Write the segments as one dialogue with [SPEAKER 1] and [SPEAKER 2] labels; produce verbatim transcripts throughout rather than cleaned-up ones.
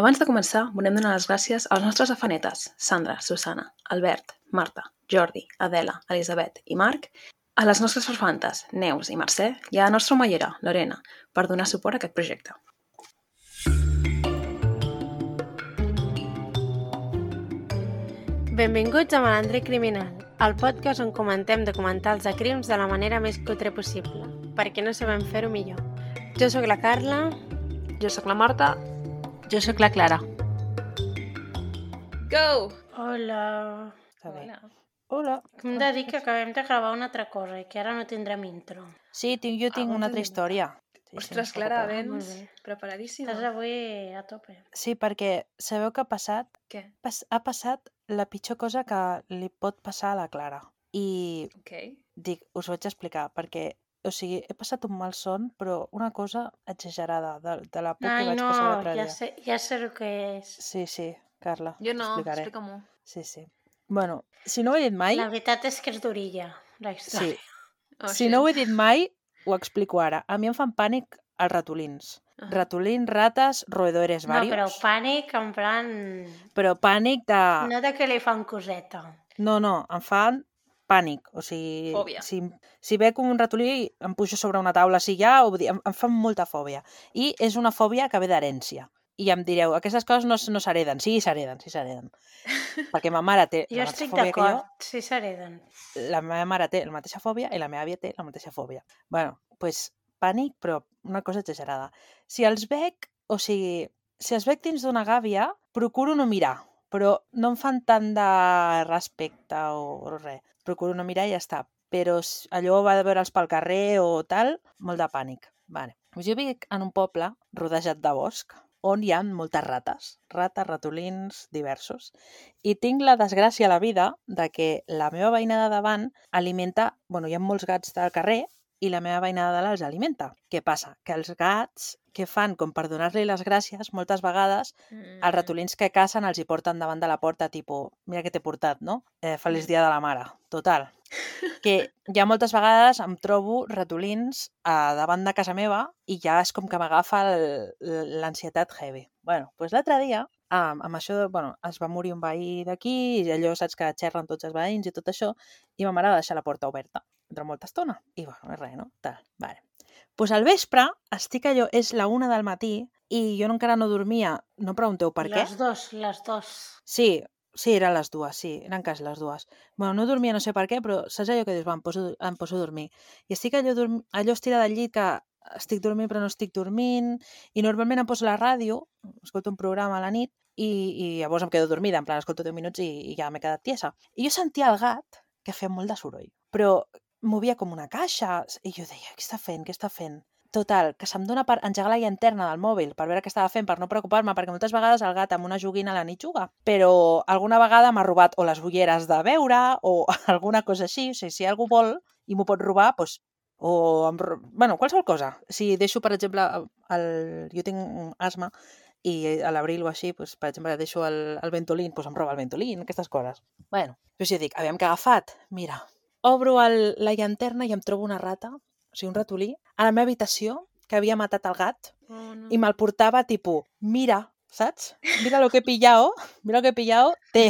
[SPEAKER 1] Abans de començar, volem donar les gràcies als nostres afanetes, Sandra, Susana, Albert, Marta, Jordi, Adela, Elisabet i Marc, a les nostres farfantes, Neus i Mercè, i a la nostra omellera, Lorena, per donar suport a aquest projecte.
[SPEAKER 2] Benvinguts a Malandre Criminal, el podcast on comentem documentals de crims de la manera més cutre possible, perquè no sabem fer-ho millor. Jo sóc la Carla.
[SPEAKER 1] Jo sóc la Marta.
[SPEAKER 3] Jo sóc la Clara.
[SPEAKER 1] Go!
[SPEAKER 2] Hola.
[SPEAKER 1] Hola.
[SPEAKER 3] Hola.
[SPEAKER 2] Hem de dir que acabem de gravar una altra cosa i que ara no tindrem intro.
[SPEAKER 3] Sí, tinc, jo tinc
[SPEAKER 1] Ah,
[SPEAKER 3] una
[SPEAKER 1] bon
[SPEAKER 3] altra
[SPEAKER 1] tenim.
[SPEAKER 3] història. Sí,
[SPEAKER 1] Ostres,
[SPEAKER 3] sí,
[SPEAKER 1] Clara,
[SPEAKER 3] no
[SPEAKER 2] Ah,
[SPEAKER 1] vens
[SPEAKER 2] molt bé.
[SPEAKER 1] preparadíssima.
[SPEAKER 2] Estàs avui a tope.
[SPEAKER 3] Sí, perquè sabeu què ha passat?
[SPEAKER 1] Què?
[SPEAKER 3] Pas ha passat la pitjor cosa que li pot passar a la Clara. I
[SPEAKER 1] Ok.
[SPEAKER 3] dic, us ho vaig explicar, perquè, o sigui, he passat un mal son, però una cosa exagerada, de, de la por que
[SPEAKER 2] Ai,
[SPEAKER 3] vaig
[SPEAKER 2] no,
[SPEAKER 3] passar l'altre
[SPEAKER 2] ja
[SPEAKER 3] dia.
[SPEAKER 2] sé, ja sé el que és.
[SPEAKER 3] Sí, sí, Carla,
[SPEAKER 1] Jo no,
[SPEAKER 3] t'explicaré.
[SPEAKER 1] explica-m'ho.
[SPEAKER 3] Sí, sí. Bueno, si no ho he dit mai,
[SPEAKER 2] La veritat és que és durilla, la història.
[SPEAKER 3] sí,
[SPEAKER 1] Oh,
[SPEAKER 3] si
[SPEAKER 1] shit.
[SPEAKER 3] no ho he dit mai, ho explico ara. A mi em fan pànic els ratolins.
[SPEAKER 1] Ah.
[SPEAKER 3] Ratolins, rates, roedores
[SPEAKER 2] No,
[SPEAKER 3] varios.
[SPEAKER 2] però pànic en plan...
[SPEAKER 3] Però pànic de...
[SPEAKER 2] No de que li fan coseta.
[SPEAKER 3] No, no, em fan pànic. O sigui,
[SPEAKER 1] Fòbia.
[SPEAKER 3] si, si veig un ratolí, em pujo sobre una taula, si ja, o, em, em fan molta fòbia. I és una fòbia que ve d'herència. I em direu, aquestes coses no, no s'hereden. Sí, s'hereden, sí s'hereden. Perquè ma mare té
[SPEAKER 2] Jo
[SPEAKER 3] la mateixa
[SPEAKER 2] estic
[SPEAKER 3] fòbia que jo.
[SPEAKER 2] d'acord, sí s'hereden.
[SPEAKER 3] La meva mare té la mateixa fòbia i la meva àvia té la mateixa fòbia. Bueno, doncs pues, pànic, però una cosa exagerada. Si els veig, o sigui, si els veig dins d'una gàbia, procuro no mirar, però no em fan tant de respecte o, o res. Procuro no mirar i ja està. Però s- allò va de veure'ls pel carrer o tal, molt de pànic. Vale. Jo vic en un poble rodejat de bosc, on hi ha moltes rates, rates, ratolins, diversos. I tinc la desgràcia a la vida de que la meva veïna de davant alimenta... Bueno, hi ha molts gats del carrer i la meva veïna de dalt els alimenta. Què passa? Que els gats, què fan? Com per donar-li les gràcies, moltes vegades
[SPEAKER 1] Mm.
[SPEAKER 3] els ratolins que cacen els hi porten davant de la porta, tipus, mira què t'he portat, no? Eh, feliç
[SPEAKER 1] Mm.
[SPEAKER 3] dia de la mare. Total. Que ja moltes vegades em trobo ratolins a davant de casa meva i ja és com que m'agafa el- l'ansietat heavy. Bueno, doncs l'altre dia, amb, amb això, de, bueno, es va morir un veí d'aquí i allò, saps que xerren tots els veïns i tot això, i ma mare va deixar la porta oberta durant molta estona. I bueno, res, no? Tal, vale. Doncs al vespre, estic allò, és la una del matí i jo encara no dormia, no em pregunteu per què.
[SPEAKER 2] Les dos, les dos.
[SPEAKER 3] Sí, sí, eren les dues, sí, eren quasi les dues. Bueno, no dormia no sé per què, però saps allò que dius, va, em poso, em poso a dormir. I estic allò, dorm... allò estirada al llit que estic dormint però no estic dormint, i normalment em poso la ràdio, escolto un programa a la nit, i, i llavors em quedo dormida, en plan, escolto deu minuts i, i ja m'he quedat tiesa. I jo sentia el gat, que feia molt de soroll, però movia com una caixa, i jo deia, què està fent, què està fent? Total, que se'm dona per engegar la llanterna del mòbil per veure què estava fent, per no preocupar-me, perquè moltes vegades el gat amb una joguina a la nit juga, però alguna vegada m'ha robat o les ulleres de veure o alguna cosa així, o sigui, si algú vol i m'ho pot robar, doncs, o em... ro- bueno, qualsevol cosa. Si deixo, per exemple, el... jo tinc un asma i a l'abril o així, doncs, per exemple, deixo el, el ventolín, doncs em roba el ventolín, aquestes coses. Bueno, doncs jo dic, aviam què ha agafat, mira, obro el, la llanterna i em trobo una rata, o sigui, un ratolí, a la meva habitació, que havia matat el gat,
[SPEAKER 1] Oh, no.
[SPEAKER 3] i me'l portava, tipus, mira, saps? Mira lo que he pillado, mira lo que he pillado, té,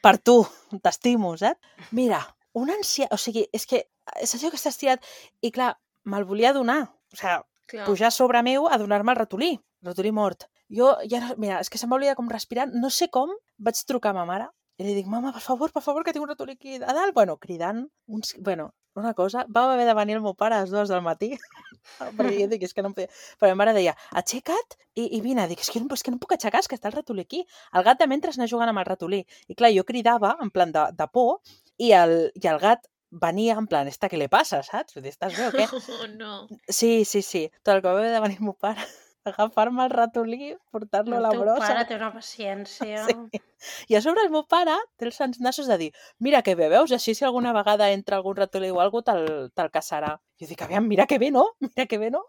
[SPEAKER 3] per tu, t'estimo, saps? Mira, una ansia... O sigui, és que, és això que estàs tirat... I clar, me'l volia donar, o sigui,
[SPEAKER 1] Clar.
[SPEAKER 3] pujar sobre meu a donar-me el ratolí, el ratolí mort. Jo, ja, no- mira, és que se m'oblida com respirar, no sé com, vaig trucar a ma mare i li dic, mama, per favor, per favor, que tinc un ratolí aquí a dalt. Bueno, cridant, uns, bueno, una cosa, va haver de venir el meu pare a les dues del matí, perquè jo dic, és que no em podia... Però ma mare deia, aixeca't i, i vine. Dic, és que, no, és que no em puc aixecar, és que està el ratolí aquí. El gat de mentre anar jugant amb el ratolí. I clar, jo cridava, en plan de, de por, i el, i el gat venia en plan, esta, què li passa, saps? Vull dir, estàs bé o què?
[SPEAKER 1] Oh, no.
[SPEAKER 3] Sí, sí, sí. Tot el que va haver de venir el meu pare, agafar-me el ratolí, portar-lo a
[SPEAKER 2] El
[SPEAKER 3] la
[SPEAKER 2] teu
[SPEAKER 3] brossa.
[SPEAKER 2] pare té una paciència.
[SPEAKER 3] Sí. I a sobre el meu pare té els sants nassos de dir, mira que bé, veus? Així si alguna vegada entra algun ratolí o algú te'l te caçarà. Jo dic, aviam, mira que bé, no? Mira que bé, no?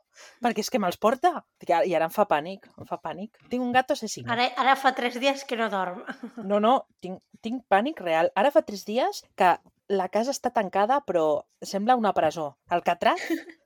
[SPEAKER 3] Perquè és que me'ls porta. Dic, "Ara- I ara em fa pànic, em fa pànic. Tinc un gato assassino.
[SPEAKER 2] Ara, ara fa tres dies que no dorm.
[SPEAKER 3] No, no, tinc, tinc pànic real. Ara fa tres dies que la casa està tancada, però sembla una presó. Alcatraz,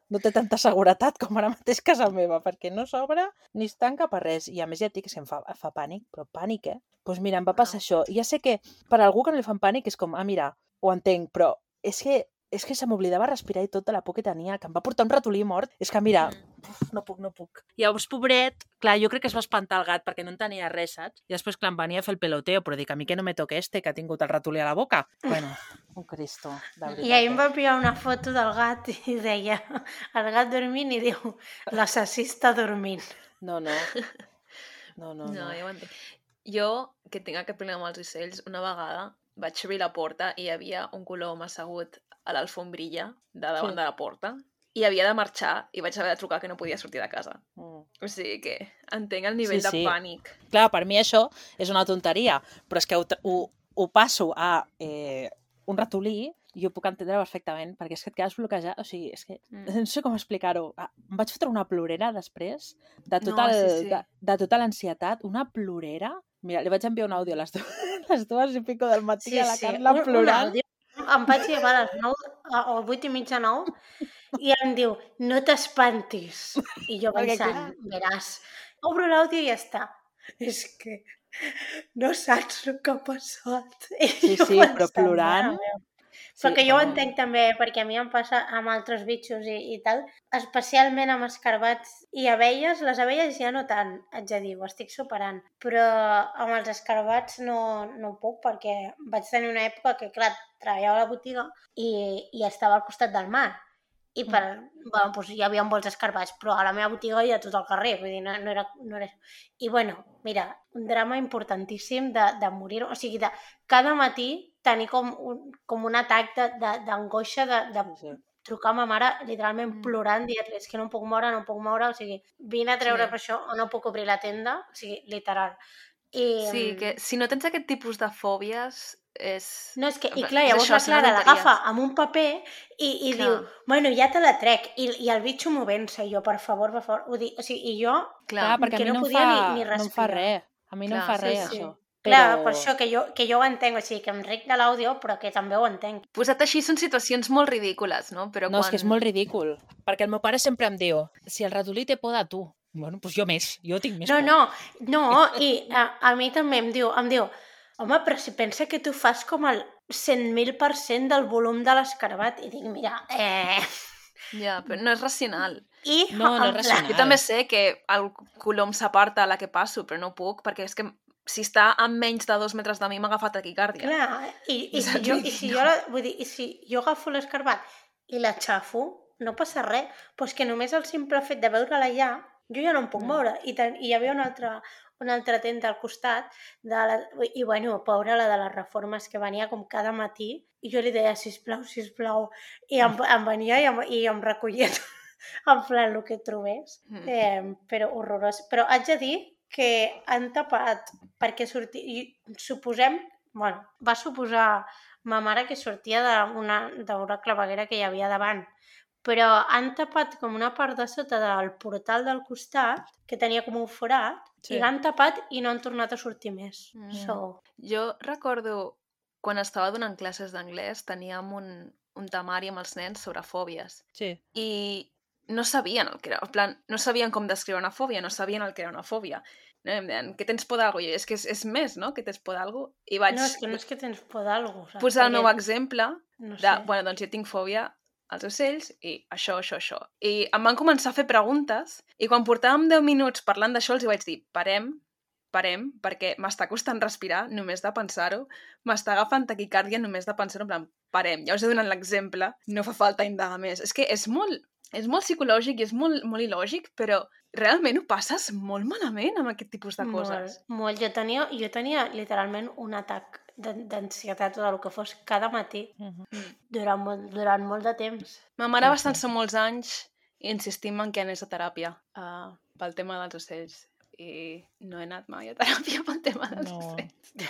[SPEAKER 3] no té tanta seguretat com ara mateix casa meva, perquè no s'obre ni es tanca per res. I a més ja et dic que em fa, fa pànic, però pànic, eh? Doncs pues mira, em va passar això. I ja sé que per a algú que no li fan pànic és com, ah, mira, ho entenc, però és que és que se m'oblidava respirar i tot de la por que tenia, que em va portar un ratolí mort. És que, mira, uf, no puc, no puc. Llavors, pobret, clar, jo crec que es va espantar el gat perquè no en tenia res, saps? I després, clar, em venia a fer el peloteo, però dic, a mi que no me toque este, que ha tingut el ratolí a la boca. Bueno, un cristo, de veritat.
[SPEAKER 2] I ahir em va enviar una foto del gat i deia, el gat dormint i diu, l'assassí està dormint.
[SPEAKER 3] No, no. No, no,
[SPEAKER 1] No,
[SPEAKER 3] no.
[SPEAKER 1] ja ho entenc. Jo, que tinc aquest problema amb els ocells, una vegada vaig obrir la porta i hi havia un colom assegut a l'alfombrilla de davant
[SPEAKER 3] Sí.
[SPEAKER 1] de la porta i havia de marxar i vaig haver de trucar que no podia sortir de casa.
[SPEAKER 3] Mm.
[SPEAKER 1] O sigui que entenc el nivell
[SPEAKER 3] Sí, sí.
[SPEAKER 1] de pànic.
[SPEAKER 3] Clar, per mi això és una tonteria, però és que ho, ho, ho passo a eh, un ratolí i ho puc entendre perfectament, perquè és que et quedes bloquejat, o sigui, és que
[SPEAKER 1] Mm.
[SPEAKER 3] no sé com explicar-ho. Ah, em vaig fotre una plorera després de
[SPEAKER 1] No,
[SPEAKER 3] tota, el,
[SPEAKER 1] sí, sí.
[SPEAKER 3] de, de tota l'ansietat, una plorera. Mira, li vaig enviar un àudio a les, do, les dues i pico del matí a la Carla
[SPEAKER 2] un, un
[SPEAKER 3] plorant.
[SPEAKER 2] àudio. Em vaig llevar a les nou o vuit i mitja nou i em diu, no t'espantis. I jo
[SPEAKER 3] Perquè,
[SPEAKER 2] pensant, veràs, obro l'àudio i ja està. És que no saps el que ha passat. I
[SPEAKER 3] Sí,
[SPEAKER 2] jo
[SPEAKER 3] sí, però
[SPEAKER 2] pensant,
[SPEAKER 3] plorant.
[SPEAKER 2] mare meva.
[SPEAKER 3] Sí,
[SPEAKER 2] Perquè jo ho
[SPEAKER 3] bueno,
[SPEAKER 2] entenc també, perquè a mi em passa amb altres bitxos i, i tal, especialment amb escarbats i abelles. Les abelles ja no tant, haig de dir, ho estic superant. Però amb els escarbats no, no puc, perquè vaig tenir una època que, clar, treballava a la botiga i, i estava al costat del mar. I per, bueno, doncs hi havia molts escarbats, però a la meva botiga hi ha tot el carrer, vull dir, no, no, era, no era... I bueno, mira, un drama importantíssim de, de morir, o sigui, de cada matí tenir com un, com un atac d'angoixa, de, de, de
[SPEAKER 3] sí, sí.
[SPEAKER 2] trucar a ma mare literalment
[SPEAKER 1] Mm.
[SPEAKER 2] plorant, dir-li, és que no em puc moure, no em puc moure, o sigui, vine a treure
[SPEAKER 1] Sí.
[SPEAKER 2] per això o no puc obrir la tenda, o sigui, literal. I,
[SPEAKER 1] Sí, que si no tens aquest tipus de fòbies és...
[SPEAKER 2] No, és que, i
[SPEAKER 1] és
[SPEAKER 2] clar, llavors
[SPEAKER 1] això,
[SPEAKER 2] la
[SPEAKER 1] són
[SPEAKER 2] Clara
[SPEAKER 1] tonteries.
[SPEAKER 2] l'agafa amb un paper i, i
[SPEAKER 1] Clar.
[SPEAKER 2] diu, bueno, ja te la trec, i, i el bitxo movent-se, i jo, per favor, per favor, ho dic, o sigui, i jo,
[SPEAKER 1] Clar,
[SPEAKER 3] Clar, perquè
[SPEAKER 2] que
[SPEAKER 3] a mi
[SPEAKER 2] no
[SPEAKER 3] no, em
[SPEAKER 2] podia
[SPEAKER 3] fa,
[SPEAKER 2] ni, ni
[SPEAKER 3] no em fa
[SPEAKER 2] respirar.
[SPEAKER 3] res. A mi no em
[SPEAKER 1] Clar,
[SPEAKER 3] fa
[SPEAKER 1] sí,
[SPEAKER 3] res,
[SPEAKER 1] sí.
[SPEAKER 3] això.
[SPEAKER 2] Clar,
[SPEAKER 3] Però-
[SPEAKER 2] per això que jo, que jo ho entenc, o sigui, que em ric de l'àudio, però que també ho entenc.
[SPEAKER 1] posat així són situacions molt ridícules, no? Però
[SPEAKER 3] No,
[SPEAKER 1] quan...
[SPEAKER 3] és que és molt ridícul. Perquè el meu pare sempre em diu, si el ratolí té por de tu, bueno, doncs jo més, jo tinc més
[SPEAKER 2] No,
[SPEAKER 3] por.
[SPEAKER 2] no, no, i a, a mi també em diu, em diu, home, però si pensa que tu fas com el cent mil per cent del volum de l'escarabat, i dic, mira, eh...
[SPEAKER 1] Ja, però no és racional.
[SPEAKER 2] I,
[SPEAKER 3] No, no
[SPEAKER 2] en
[SPEAKER 3] és
[SPEAKER 2] plan,
[SPEAKER 3] racional.
[SPEAKER 1] Jo també sé que el colom s'aparta a la que passo, però no puc, perquè és que si està a menys de dos metres de mi m'ha agafat taquicàrdia.
[SPEAKER 2] Clar, i, i, si
[SPEAKER 1] Saps?
[SPEAKER 2] jo, i si jo, la, vull dir, i si jo agafo l'escarbat i la xafo, no passa res, però és que només el simple fet de veure-la allà, jo ja no em puc
[SPEAKER 3] Mm.
[SPEAKER 2] moure. I, ten, i hi havia una altra, una altra tenda al costat, de la, i bueno, pobra la de les reformes, que venia com cada matí, i jo li deia, sisplau, sisplau, i em, em venia i em, i em recollia en plan el que trobés,
[SPEAKER 1] Mm.
[SPEAKER 2] eh, però horrorós. Però haig de dir que han tapat perquè sortia, i suposem, bueno, va suposar ma mare que sortia d'una d'una claveguera que hi havia davant, però han tapat com una part de sota del portal del costat, que tenia com un forat,
[SPEAKER 3] Sí.
[SPEAKER 2] i l'han tapat i no han tornat a sortir més.
[SPEAKER 1] Mm.
[SPEAKER 2] So,
[SPEAKER 1] Jo recordo quan estava donant classes d'anglès teníem un, un temari amb els nens sobre fòbies
[SPEAKER 3] Sí.
[SPEAKER 1] i no sabien el que era, en plan, no sabien com descriure una fòbia, no sabien el que era una fòbia. No? Em deien, que tens por d'algú? I jo, és que és, és més, no?, que tens por d'algú. I vaig
[SPEAKER 2] no, és que no és que tens por d'algú, saps?
[SPEAKER 1] posar el meu
[SPEAKER 2] Perquè,
[SPEAKER 1] exemple
[SPEAKER 2] no
[SPEAKER 1] de,
[SPEAKER 2] sé.
[SPEAKER 1] bueno, doncs jo tinc fòbia als ocells i això, això, això. I em van començar a fer preguntes i quan portàvem deu minuts parlant d'això els hi vaig dir, parem, parem, perquè m'està costant respirar només de pensar-ho, m'està agafant taquicàrdia només de pensar-ho, en plan, parem, ja us he donat l'exemple, no fa falta indagar més. És que és molt, és molt psicològic i és molt, molt il·lògic, però realment ho passes molt malament amb aquest tipus de coses.
[SPEAKER 2] Molt, molt. Jo tenia, jo tenia literalment un atac d'an- d'ansietat o del que fos cada matí
[SPEAKER 3] Mhm.
[SPEAKER 2] durant molt, durant molt de temps.
[SPEAKER 1] Ma mare
[SPEAKER 3] Sí,
[SPEAKER 1] va
[SPEAKER 3] sí.
[SPEAKER 1] estar-se molts anys insistint en que anés a teràpia uh, pel tema dels ocells i no he anat mai a teràpia pel tema dels
[SPEAKER 3] No.
[SPEAKER 1] ocells.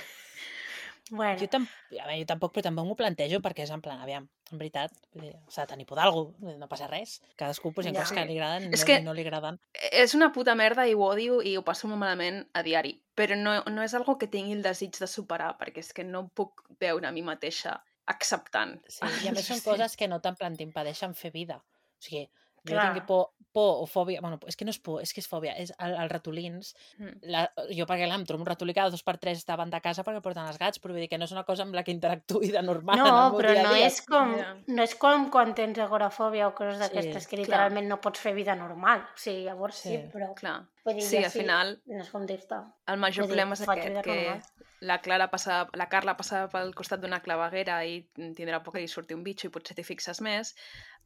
[SPEAKER 2] Bueno,
[SPEAKER 3] Jo, tam a veure, jo tampoc, però tampoc m'ho plantejo perquè és en plan, aviam, en veritat, vull dir, s'ha de tenir por d'algú, no passa res. Cadascú pues, hi ha
[SPEAKER 2] Ja.
[SPEAKER 3] coses que li agraden i
[SPEAKER 1] És
[SPEAKER 3] no,
[SPEAKER 1] que-
[SPEAKER 3] i no li agraden.
[SPEAKER 1] És una puta merda i ho odio i ho passo molt malament a diari, però no, no és algo que tingui el desig de superar, perquè és que no em puc veure a mi mateixa acceptant.
[SPEAKER 3] Sí, i a més són coses que no te'n plan t'impedeixen fer vida. O sigui, Jo
[SPEAKER 2] Clar.
[SPEAKER 3] tinc por, por o fòbia... Bueno, és que no és por, és que és fòbia. És el, els ratolins.
[SPEAKER 1] Mm.
[SPEAKER 3] La, jo, perquè clar, em trobo un ratolí cada dos per tres davant de casa perquè porten els gats, però vull dir que no és una cosa amb la que interactuï de normal
[SPEAKER 2] No,
[SPEAKER 3] en el meu
[SPEAKER 2] però
[SPEAKER 3] dia a
[SPEAKER 2] no
[SPEAKER 3] dia.
[SPEAKER 2] és com,
[SPEAKER 1] Ja.
[SPEAKER 2] no és com quan tens agorafòbia o coses
[SPEAKER 3] Sí,
[SPEAKER 2] d'aquestes que
[SPEAKER 1] clar.
[SPEAKER 2] literalment no pots fer vida normal. O sigui, llavors sí,
[SPEAKER 3] Sí.
[SPEAKER 2] però...
[SPEAKER 1] Clar.
[SPEAKER 2] Vull dir,
[SPEAKER 1] Sí,
[SPEAKER 2] jo
[SPEAKER 1] al final,
[SPEAKER 2] no és com dir-te.
[SPEAKER 1] el major
[SPEAKER 2] Vull dir,
[SPEAKER 1] problema és
[SPEAKER 2] faig
[SPEAKER 1] aquest,
[SPEAKER 2] vida
[SPEAKER 1] que
[SPEAKER 2] normal.
[SPEAKER 1] la Clara passava, la Carla passava pel costat d'una claveguera i tindrà por que li surti un bitxo i potser t'hi fixes més.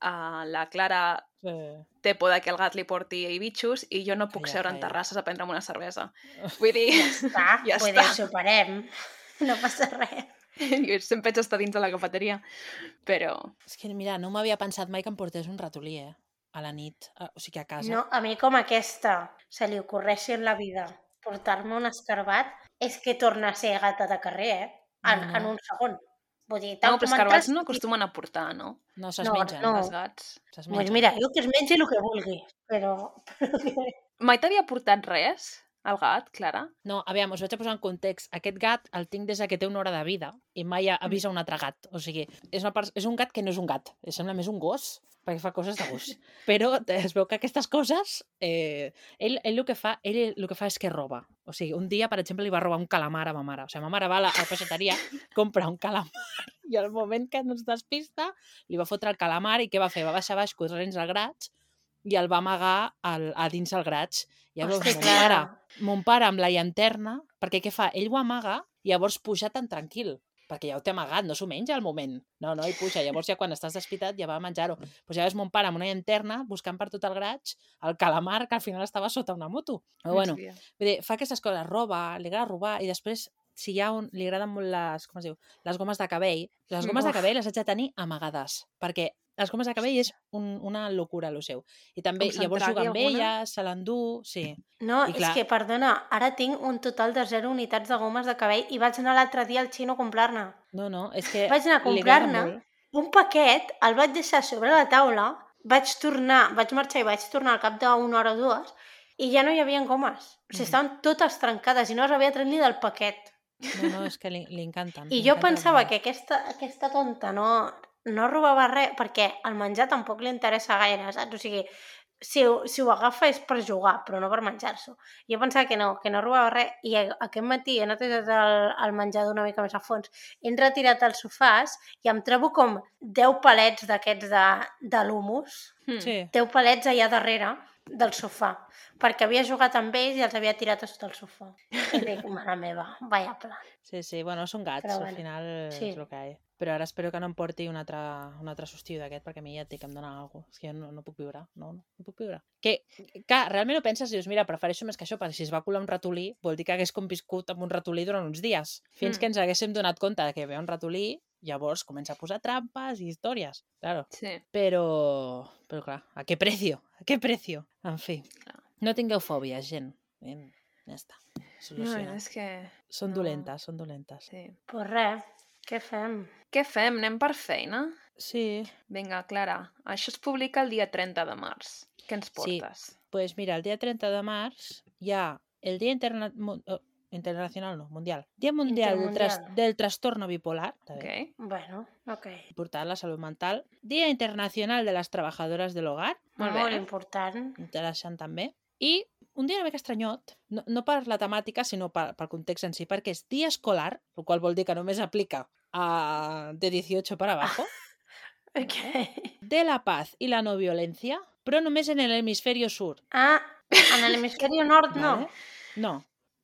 [SPEAKER 1] Uh, la Clara
[SPEAKER 3] Sí.
[SPEAKER 1] té por de que el gat li porti bitxos i jo no puc
[SPEAKER 3] Calla,
[SPEAKER 1] seure en
[SPEAKER 3] calla.
[SPEAKER 1] terrasses a prendre'm una cervesa. Vull dir,
[SPEAKER 2] Ja està,
[SPEAKER 1] ja
[SPEAKER 2] vull
[SPEAKER 1] està.
[SPEAKER 2] dir, ho superem. No passa res.
[SPEAKER 1] Jo sempre haig d'estar dins de la cafeteria, però...
[SPEAKER 3] És que, mira, no m'havia pensat mai que em portés un ratolí, eh? A la nit, a, o sigui, a casa.
[SPEAKER 2] No, a mi com aquesta se li ocorreixi en la vida portar-me un escarbat, és que torna a ser gata de carrer, eh? En,
[SPEAKER 3] No, no.
[SPEAKER 2] en un segon. Vull dir,
[SPEAKER 1] No,
[SPEAKER 2] tal
[SPEAKER 1] però
[SPEAKER 2] com
[SPEAKER 1] escarbats
[SPEAKER 2] entres...
[SPEAKER 1] no acostumen a portar, no?
[SPEAKER 3] No, se's
[SPEAKER 2] No,
[SPEAKER 3] mengen.
[SPEAKER 2] no.
[SPEAKER 1] Els gats.
[SPEAKER 3] Se's
[SPEAKER 2] Doncs
[SPEAKER 3] mengen.
[SPEAKER 2] mira, jo que es mengi el que vulgui, però... però que...
[SPEAKER 1] Mai t'havia portat res, el gat, Clara?
[SPEAKER 3] No, aviam, us vaig a posar en context. Aquest gat el tinc des que té una hora de vida i mai ha vist un altre gat. O sigui, és, una part... és un gat que no és un gat. Sembla més un gos, perquè fa coses de gos. Però es veu que aquestes coses... Eh, ell, ell, el que fa, ell el que fa és que roba. O sigui, un dia, per exemple, li va robar un calamar a ma mare. O sigui, ma mare va a la, a la peixateria, compra un calamar i al moment que no es despista li va fotre el calamar i què va fer? Va baixar baix corrents al graig i el va amagar al, a dins el graig. Llavors,
[SPEAKER 2] Hosti,
[SPEAKER 3] mon pare,
[SPEAKER 2] Clara.
[SPEAKER 3] mon pare amb la llanterna, perquè què fa? Ell ho amaga i llavors puja tan tranquil, perquè ja ho té amagat, no s'ho menja al moment. No, no, i puja. Llavors ja quan estàs despitat ja va a menjar-ho. Pues ja ves mon pare amb una llanterna buscant per tot el graig el calamar que al final estava sota una moto. Però bueno,
[SPEAKER 1] sabia.
[SPEAKER 3] vull dir, fa aquestes coses, roba, li agrada robar i després si hi ha un, li agraden molt les, com es diu, les gomes de cabell, les gomes
[SPEAKER 2] Uf.
[SPEAKER 3] de cabell les haig de tenir amagades, perquè les gomes de cabell és un, una locura, el seu. I també,
[SPEAKER 1] Com
[SPEAKER 3] llavors
[SPEAKER 1] s'entragui
[SPEAKER 3] juga amb
[SPEAKER 1] alguna?
[SPEAKER 3] elles, se l'endú, sí.
[SPEAKER 2] No,
[SPEAKER 3] I
[SPEAKER 2] és
[SPEAKER 3] clar.
[SPEAKER 2] que, perdona, ara tinc un total de zero unitats de gomes de cabell i vaig anar l'altre dia al xino a comprar-ne.
[SPEAKER 3] No, no, és que
[SPEAKER 2] Vaig anar a
[SPEAKER 3] li agrada
[SPEAKER 2] comprar-ne
[SPEAKER 3] molt.
[SPEAKER 2] un paquet, el vaig deixar sobre la taula, vaig tornar, vaig marxar i vaig tornar al cap d'una hora o dues i ja no hi havia gomes. O sigui,
[SPEAKER 3] Mhm.
[SPEAKER 2] estaven totes trencades i no les havia tret ni del paquet.
[SPEAKER 3] No, no, és que li, li encanten.
[SPEAKER 2] I
[SPEAKER 3] li
[SPEAKER 2] jo
[SPEAKER 3] encanten
[SPEAKER 2] pensava
[SPEAKER 3] molt.
[SPEAKER 2] que aquesta, aquesta tonta no, no robava res, perquè el menjar tampoc li interessa gaire, saps? O sigui, si ho, si ho agafa és per jugar, però no per menjar-s'ho. Jo pensava que no, que no robava res, i aquest matí he netedat el, el menjador una mica més a fons, he retirat els sofàs i em trobo com deu palets d'aquests de, de l'humus,
[SPEAKER 1] Hmm.
[SPEAKER 3] Sí,
[SPEAKER 2] deu palets allà darrere del sofà, perquè havia jugat amb ells i els havia tirat a sota el sofà. I dic, mare meva, vaya plan.
[SPEAKER 3] sí, sí, bueno, són gats,
[SPEAKER 2] Però
[SPEAKER 3] al
[SPEAKER 2] bueno,
[SPEAKER 3] final
[SPEAKER 2] sí.
[SPEAKER 3] és el que hi ha. Però ara espero que no em porti un altre, un altre sustiu d'aquest, perquè a mi ja et dic que em dona alguna cosa. És que jo no, no puc viure, no, no, no puc viure. Que, que realment ho penses i dius, mira, prefereixo més que això, perquè si es va colar un ratolí, vol dir que hagués conviscut amb un ratolí durant uns dies. Fins
[SPEAKER 1] Mm.
[SPEAKER 3] que ens haguéssim donat compte de que hi havia un ratolí, llavors comença a posar trampes i històries, claro.
[SPEAKER 1] Sí.
[SPEAKER 3] Però, però clar, ¿a qué precio? ¿A qué precio? En fi,
[SPEAKER 1] Clar.
[SPEAKER 3] no tingueu fòbies, gent. Em, Ja està,
[SPEAKER 1] No,
[SPEAKER 3] solucionat.
[SPEAKER 1] és que...
[SPEAKER 3] Són
[SPEAKER 1] no.
[SPEAKER 3] dolentes, són dolentes.
[SPEAKER 1] Sí.
[SPEAKER 2] Pues res, què fem?
[SPEAKER 1] Què fem? Anem per feina?
[SPEAKER 3] Sí,
[SPEAKER 1] Vinga, Clara, això es publica el dia trenta de març. Què ens
[SPEAKER 3] Sí.
[SPEAKER 1] portes?
[SPEAKER 3] pues mira, el dia trenta de març hi ha el Dia Interna... mu- oh, Internacional, no, Mundial. Dia Mundial del, tras...
[SPEAKER 2] Intermundial.
[SPEAKER 3] del Trastorno Bipolar, està
[SPEAKER 1] Ok.
[SPEAKER 3] bé,
[SPEAKER 2] Bueno, ok.
[SPEAKER 3] important, la salut mental. Dia Internacional de les Treballadores de l'Hogar,
[SPEAKER 1] Molt
[SPEAKER 2] Molt
[SPEAKER 1] bé.
[SPEAKER 2] important.
[SPEAKER 3] interessant també. I un dia una mica estranyot, no, no per la temàtica, sinó per, pel context en si, perquè és dia escolar, el qual vol dir que només aplica a de dieciocho para abajo,
[SPEAKER 2] Ok.
[SPEAKER 3] de la paz i la no violència, però només en l'hemisferio sur.
[SPEAKER 2] Ah, en l'hemisferi nord no.
[SPEAKER 3] Vale? No.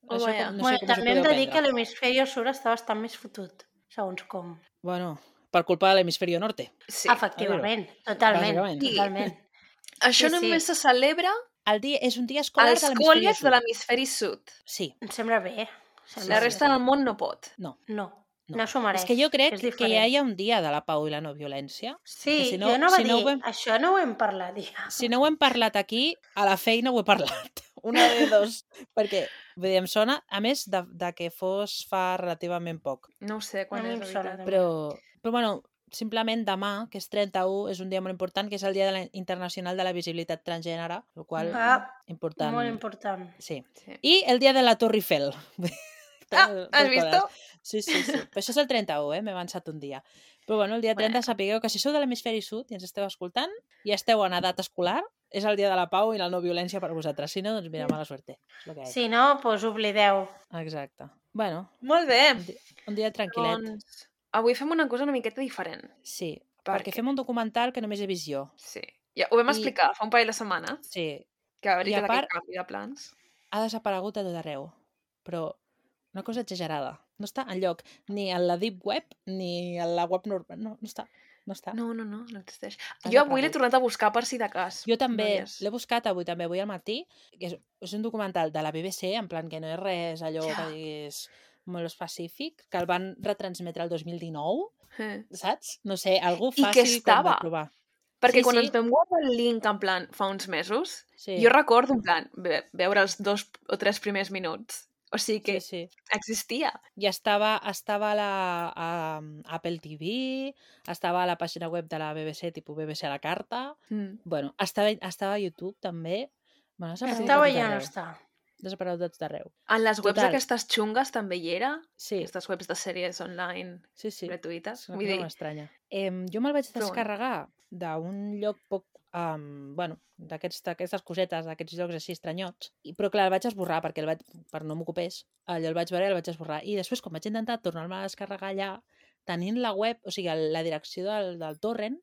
[SPEAKER 1] Oh,
[SPEAKER 3] Això
[SPEAKER 1] vaya.
[SPEAKER 3] com, no
[SPEAKER 2] bueno,
[SPEAKER 3] sé com us ho
[SPEAKER 2] també hem
[SPEAKER 3] podeu
[SPEAKER 2] de dir que
[SPEAKER 3] prendre.
[SPEAKER 2] l'hemisferi sud està bastant més fotut, segons com.
[SPEAKER 3] Bueno, per culpa de l'hemisferio norte.
[SPEAKER 1] Sí.
[SPEAKER 2] Efectivament, totalment,
[SPEAKER 3] Bàsicament.
[SPEAKER 2] totalment.
[SPEAKER 1] Això
[SPEAKER 2] Sí, sí.
[SPEAKER 1] només se celebra
[SPEAKER 3] El dia, és un dia escolar
[SPEAKER 1] als
[SPEAKER 3] de l'hemisferi
[SPEAKER 1] col·les de
[SPEAKER 3] sud.
[SPEAKER 1] l'hemisferi sud.
[SPEAKER 3] Sí,
[SPEAKER 2] Em sembla bé. Em sembla
[SPEAKER 1] La
[SPEAKER 2] bé.
[SPEAKER 1] resta del món no pot.
[SPEAKER 3] no.
[SPEAKER 2] No,
[SPEAKER 3] No.
[SPEAKER 2] no s'ho mereix.
[SPEAKER 3] És que jo crec
[SPEAKER 2] és
[SPEAKER 3] que
[SPEAKER 2] diferent.
[SPEAKER 3] ja hi ha un dia de la pau i la no violència.
[SPEAKER 2] Sí,
[SPEAKER 3] que si no-
[SPEAKER 2] jo no va
[SPEAKER 3] si no
[SPEAKER 2] dir,
[SPEAKER 3] ho hem-
[SPEAKER 2] això no ho hem parlat ja.
[SPEAKER 3] Si no ho hem parlat aquí, a la feina ho he parlat. Una de dos. Perquè, vull dir, em sona, a més, de, de que fos fa relativament poc.
[SPEAKER 1] No ho sé quan
[SPEAKER 2] A mi
[SPEAKER 1] és,
[SPEAKER 2] em
[SPEAKER 1] la
[SPEAKER 2] sona
[SPEAKER 1] veritat.
[SPEAKER 2] també.
[SPEAKER 3] Però, però bueno, simplement demà, que és trenta-u, és un dia molt important, que és el Dia de la, Internacional de la Visibilitat Transgènere, el qual,
[SPEAKER 2] Ah,
[SPEAKER 3] important.
[SPEAKER 2] molt important.
[SPEAKER 3] Sí.
[SPEAKER 1] Sí.
[SPEAKER 3] I el dia de la Torre Eiffel.
[SPEAKER 1] Ah,
[SPEAKER 3] Dos
[SPEAKER 1] has
[SPEAKER 3] coses.
[SPEAKER 1] visto?
[SPEAKER 3] Sí, sí, sí. Però això és el trenta-u, eh? M'he avançat un dia. Però bueno, el dia trenta
[SPEAKER 1] Bueno.
[SPEAKER 3] sapigueu que si sou de l'hemisferi sud i ens esteu escoltant i esteu en edat escolar, és el dia de la pau i la no violència per vosaltres. Si no, doncs mira, mala suerte. És el que hi ha.
[SPEAKER 2] Si no, doncs oblideu.
[SPEAKER 3] Exacte. Bueno,
[SPEAKER 1] Molt bé.
[SPEAKER 3] un, di un dia tranquil·let.
[SPEAKER 1] Doncs avui fem una cosa una miqueta diferent.
[SPEAKER 3] Sí,
[SPEAKER 1] Per
[SPEAKER 3] perquè
[SPEAKER 1] què?
[SPEAKER 3] fem un documental que només he vist jo.
[SPEAKER 1] Sí. Ja, ho vam
[SPEAKER 3] I-
[SPEAKER 1] explicar fa un parell de setmanes,
[SPEAKER 3] Sí,
[SPEAKER 1] que va haver-hi
[SPEAKER 3] I a
[SPEAKER 1] tot aquest
[SPEAKER 3] part-
[SPEAKER 1] canvi de plans.
[SPEAKER 3] ha desaparegut a tot arreu. Però una cosa exagerada. No està enlloc ni en la deep web ni en la web normal. No, no està. No està.
[SPEAKER 1] No, no, no, no existeix.
[SPEAKER 3] Ha
[SPEAKER 1] Jo avui l'he
[SPEAKER 3] desaparegut.
[SPEAKER 1] tornat a buscar per si de cas.
[SPEAKER 3] Jo també
[SPEAKER 1] No hi és.
[SPEAKER 3] l'he buscat avui també, avui al matí, que és, és un documental de la B B C, en plan que no és res allò
[SPEAKER 1] Ja.
[SPEAKER 3] que diguis molt específic, que el van retransmetre el dos mil dinou,
[SPEAKER 1] Eh.
[SPEAKER 3] saps? No sé, algú
[SPEAKER 1] I que
[SPEAKER 3] fàcil com
[SPEAKER 1] estava.
[SPEAKER 3] de provar.
[SPEAKER 1] Perquè
[SPEAKER 3] Sí,
[SPEAKER 1] quan
[SPEAKER 3] sí.
[SPEAKER 1] ens vam guardar el link en plan fa uns mesos,
[SPEAKER 3] Sí,
[SPEAKER 1] jo recordo en plan ve veure els dos o tres primers minuts. O sigui que
[SPEAKER 3] sí, sí.
[SPEAKER 1] existia.
[SPEAKER 3] I estava, estava a la a, Apple T V, estava a la pàgina web de la B B C, tipus B B C a la carta.
[SPEAKER 1] Mm.
[SPEAKER 3] Bueno, estava, estava a YouTube també. Bueno, ha desaparegut
[SPEAKER 2] Estava
[SPEAKER 3] de tot
[SPEAKER 2] ja no
[SPEAKER 3] arreu.
[SPEAKER 2] està.
[SPEAKER 3] Ha desaparegut de tot arreu.
[SPEAKER 1] En les webs
[SPEAKER 3] Total.
[SPEAKER 1] aquestes xungues també hi era.
[SPEAKER 3] Sí,
[SPEAKER 1] Aquestes webs de sèries online
[SPEAKER 3] sí, sí.
[SPEAKER 1] gratuïtes.
[SPEAKER 3] És una
[SPEAKER 1] Vull
[SPEAKER 3] cosa
[SPEAKER 1] dir,
[SPEAKER 3] molt estranya. Eh, jo me'l vaig
[SPEAKER 1] Però bueno.
[SPEAKER 3] descarregar d'un lloc poc... Um, bueno, d'aquests- d'aquestes cosetes, d'aquests llocs així estranyots. I, però clar, el vaig esborrar perquè el vaig, per no m'ocupés. Allò el vaig veure i el vaig esborrar. I després, quan vaig intentar tornar-me a descarregar allà, tenint la web, o sigui, el- la direcció del, del torrent,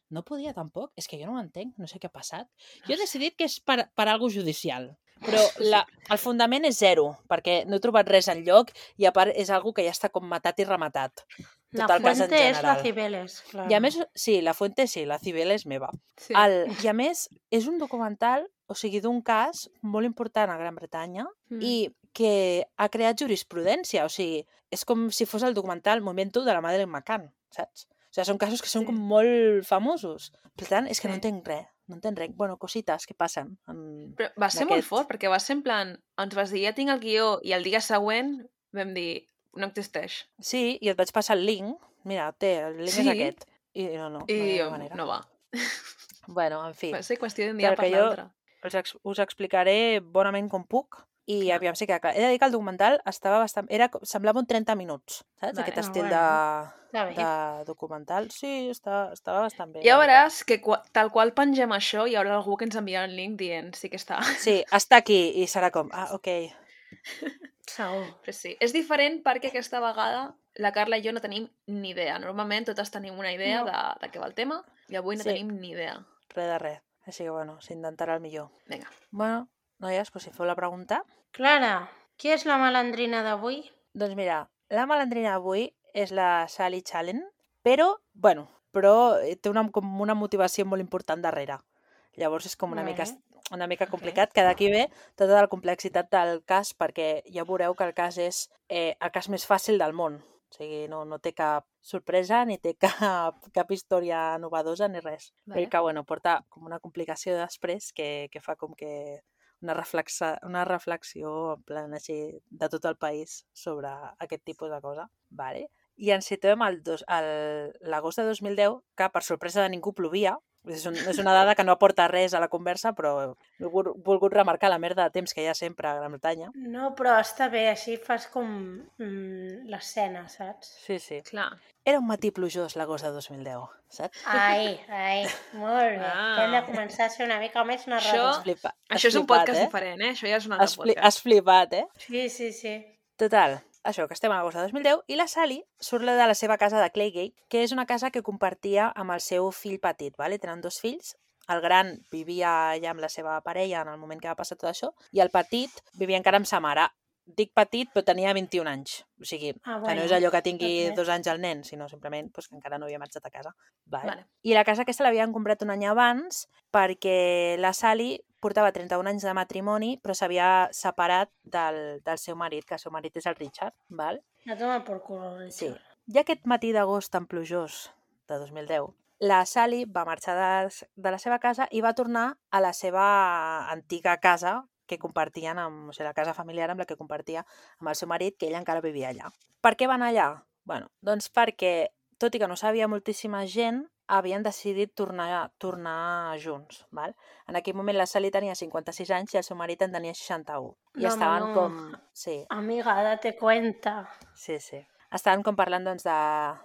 [SPEAKER 3] no podia tampoc. És que jo no ho entenc, no sé què ha passat. Jo he decidit que és per, per algo judicial. Però la, el fundament és zero, perquè no he trobat res enlloc i a part és algo que ja està com matat i rematat.
[SPEAKER 2] La
[SPEAKER 3] Tot el cas en
[SPEAKER 2] fuente és la
[SPEAKER 3] general.
[SPEAKER 2] Cibeles, clar.
[SPEAKER 3] I a més, sí, la fuente sí, la Cibel és meva.
[SPEAKER 1] sí.
[SPEAKER 3] El, I a més, és un documental, o sigui, d'un cas molt important a Gran Bretanya
[SPEAKER 1] Mm.
[SPEAKER 3] i que ha creat jurisprudència. O sigui, és com si fos el documental Momento de la Madeleine McCann, saps? O sigui, són casos que són
[SPEAKER 1] Sí.
[SPEAKER 3] com molt famosos. Per tant, és que no
[SPEAKER 1] Sí.
[SPEAKER 3] entenc res. No entenc res. Bueno, cosites que passen. En...
[SPEAKER 1] Però va ser molt
[SPEAKER 3] d'aquest.
[SPEAKER 1] fort, perquè va ser en plan, ens vas dir, ja tinc el guió, i el dia següent vam dir, no existeix.
[SPEAKER 3] Sí, i et vaig passar el link. Mira, té, el link
[SPEAKER 1] Sí.
[SPEAKER 3] és aquest. I no, no,
[SPEAKER 1] I
[SPEAKER 3] no hi ha
[SPEAKER 1] jo,
[SPEAKER 3] manera.
[SPEAKER 1] no va.
[SPEAKER 3] Bueno, en fi.
[SPEAKER 1] Va ser qüestió d'un dia
[SPEAKER 3] Clar
[SPEAKER 1] per
[SPEAKER 3] que jo-
[SPEAKER 1] l'altre.
[SPEAKER 3] us, ex us explicaré bonament com puc i
[SPEAKER 1] Clar.
[SPEAKER 3] aviam si queda clar. He de dir que el documental estava bastant... Era, co- semblava un trenta minuts, saps?
[SPEAKER 1] Vale.
[SPEAKER 3] Aquest
[SPEAKER 2] Ah,
[SPEAKER 3] estil
[SPEAKER 2] bueno. Està
[SPEAKER 3] de,
[SPEAKER 2] bé.
[SPEAKER 3] de documental. Sí, està, estava bastant bé.
[SPEAKER 1] Ja
[SPEAKER 3] la veritat.
[SPEAKER 1] veuràs que qua- tal qual pengem això, hi haurà algú que ens enviarà el link dient sí que està.
[SPEAKER 3] Sí, està aquí i serà com, ah, ok.
[SPEAKER 2] Segur.
[SPEAKER 1] Però sí, és diferent perquè aquesta vegada la Carla i jo no tenim ni idea. Normalment totes tenim una idea
[SPEAKER 2] No.
[SPEAKER 1] de, de què va el tema i avui no
[SPEAKER 3] Sí.
[SPEAKER 1] tenim ni idea.
[SPEAKER 3] Res de res. Així que, bueno, s'intentarà el millor.
[SPEAKER 1] Vinga.
[SPEAKER 3] Bueno, noies, doncs si feu la pregunta.
[SPEAKER 2] Clara, qui és la malandrina d'avui?
[SPEAKER 3] Doncs mira, la malandrina d'avui és la Sally Challen, però, bueno, però eh, té una, com una motivació molt important darrere. Llavors és com una mica,
[SPEAKER 2] Vale.
[SPEAKER 3] una mica
[SPEAKER 2] Ok.
[SPEAKER 3] complicat, que d'aquí ve tota la complexitat del cas, perquè ja veureu que el cas és eh, el cas més fàcil del món. O sigui, no, no té cap sorpresa, ni té cap, cap història novedosa, ni res.
[SPEAKER 1] Vale.
[SPEAKER 3] Però que, bueno, porta com una complicació després que, que fa com que una, reflexa, una reflexió en plan així de tot el país sobre aquest tipus de cosa. Vale. I ens situem al dos- al- l'agost de dos mil deu, que per sorpresa de ningú plovia. És, un, és una dada que no aporta res a la conversa, però he volgut, volgut remarcar la merda de temps que hi ha sempre a Gran Bretanya.
[SPEAKER 2] No, però està bé, així fas com mm, l'escena, saps?
[SPEAKER 3] Sí, sí.
[SPEAKER 1] Clar.
[SPEAKER 3] Era un matí plujós l'agost de dos mil deu, saps?
[SPEAKER 2] Ai, ai, molt bé.
[SPEAKER 1] Ah.
[SPEAKER 2] Hem de començar a ser una mica més
[SPEAKER 1] Això-
[SPEAKER 2] narradors.
[SPEAKER 3] Flipa,
[SPEAKER 1] Això és un
[SPEAKER 3] flipat,
[SPEAKER 1] podcast
[SPEAKER 3] eh?
[SPEAKER 1] diferent, eh? Això ja és un
[SPEAKER 3] Has,
[SPEAKER 1] altre
[SPEAKER 3] fli
[SPEAKER 1] podcast.
[SPEAKER 3] has flipat, eh?
[SPEAKER 2] Sí, sí, sí.
[SPEAKER 3] Total, això, que estem a l'agost de dos mil deu, i la Sally surt de la seva casa de Claygate, que és una casa que compartia amb el seu fill petit, vale? Tenen dos fills. El gran vivia ja amb la seva parella en el moment que va passar tot això, i el petit vivia encara amb sa mare. Dic petit, però tenia vint-i-un anys. O sigui,
[SPEAKER 2] Ah,
[SPEAKER 3] que no
[SPEAKER 2] bueno,
[SPEAKER 3] és allò que tingui
[SPEAKER 2] ok.
[SPEAKER 3] dos anys el nen, sinó simplement pues, que encara no havia marxat a casa. Vale.
[SPEAKER 1] Vale.
[SPEAKER 3] I la casa aquesta l'havien comprat un any abans perquè la Sally portava trenta-un anys de matrimoni, però s'havia separat del, del seu marit, que el seu marit és el Richard. Val?
[SPEAKER 2] A tomar por culo, Richard.
[SPEAKER 3] Sí. I aquest matí d'agost tan plujós de dos mil deu, la Sally va marxar de, de la seva casa i va tornar a la seva antiga casa que compartien amb, o sigui, la casa familiar amb la que compartia amb el seu marit, que ella encara vivia allà. Per què van allà? Bueno, doncs perquè, tot i que no sabia moltíssima gent, havien decidit tornar, tornar junts. Val? En aquell moment la Sally tenia cinquanta-sis anys i el seu marit en tenia seixanta-un. I
[SPEAKER 2] No, home,
[SPEAKER 3] estaven
[SPEAKER 2] no.
[SPEAKER 3] com... Sí,
[SPEAKER 2] Amiga, date cuenta.
[SPEAKER 3] sí, sí. estaven com parlant doncs, de,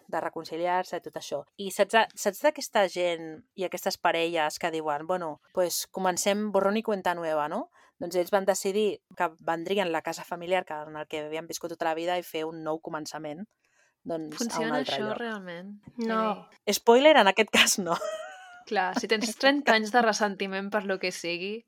[SPEAKER 3] de reconciliar-se i tot això. I saps, saps d'aquesta gent i aquestes parelles que diuen, bueno, pues comencem borrón i cuenta nueva, no? Doncs ells van decidir que vendrien la casa familiar que, en el que havien viscut tota la vida i fer un nou començament doncs, a un
[SPEAKER 1] Funciona
[SPEAKER 3] altre
[SPEAKER 1] això
[SPEAKER 3] lloc.
[SPEAKER 1] realment?
[SPEAKER 2] No.
[SPEAKER 1] Ei.
[SPEAKER 3] Spoiler, en aquest cas no.
[SPEAKER 1] Clar, si tens trenta anys de ressentiment per lo que sigui,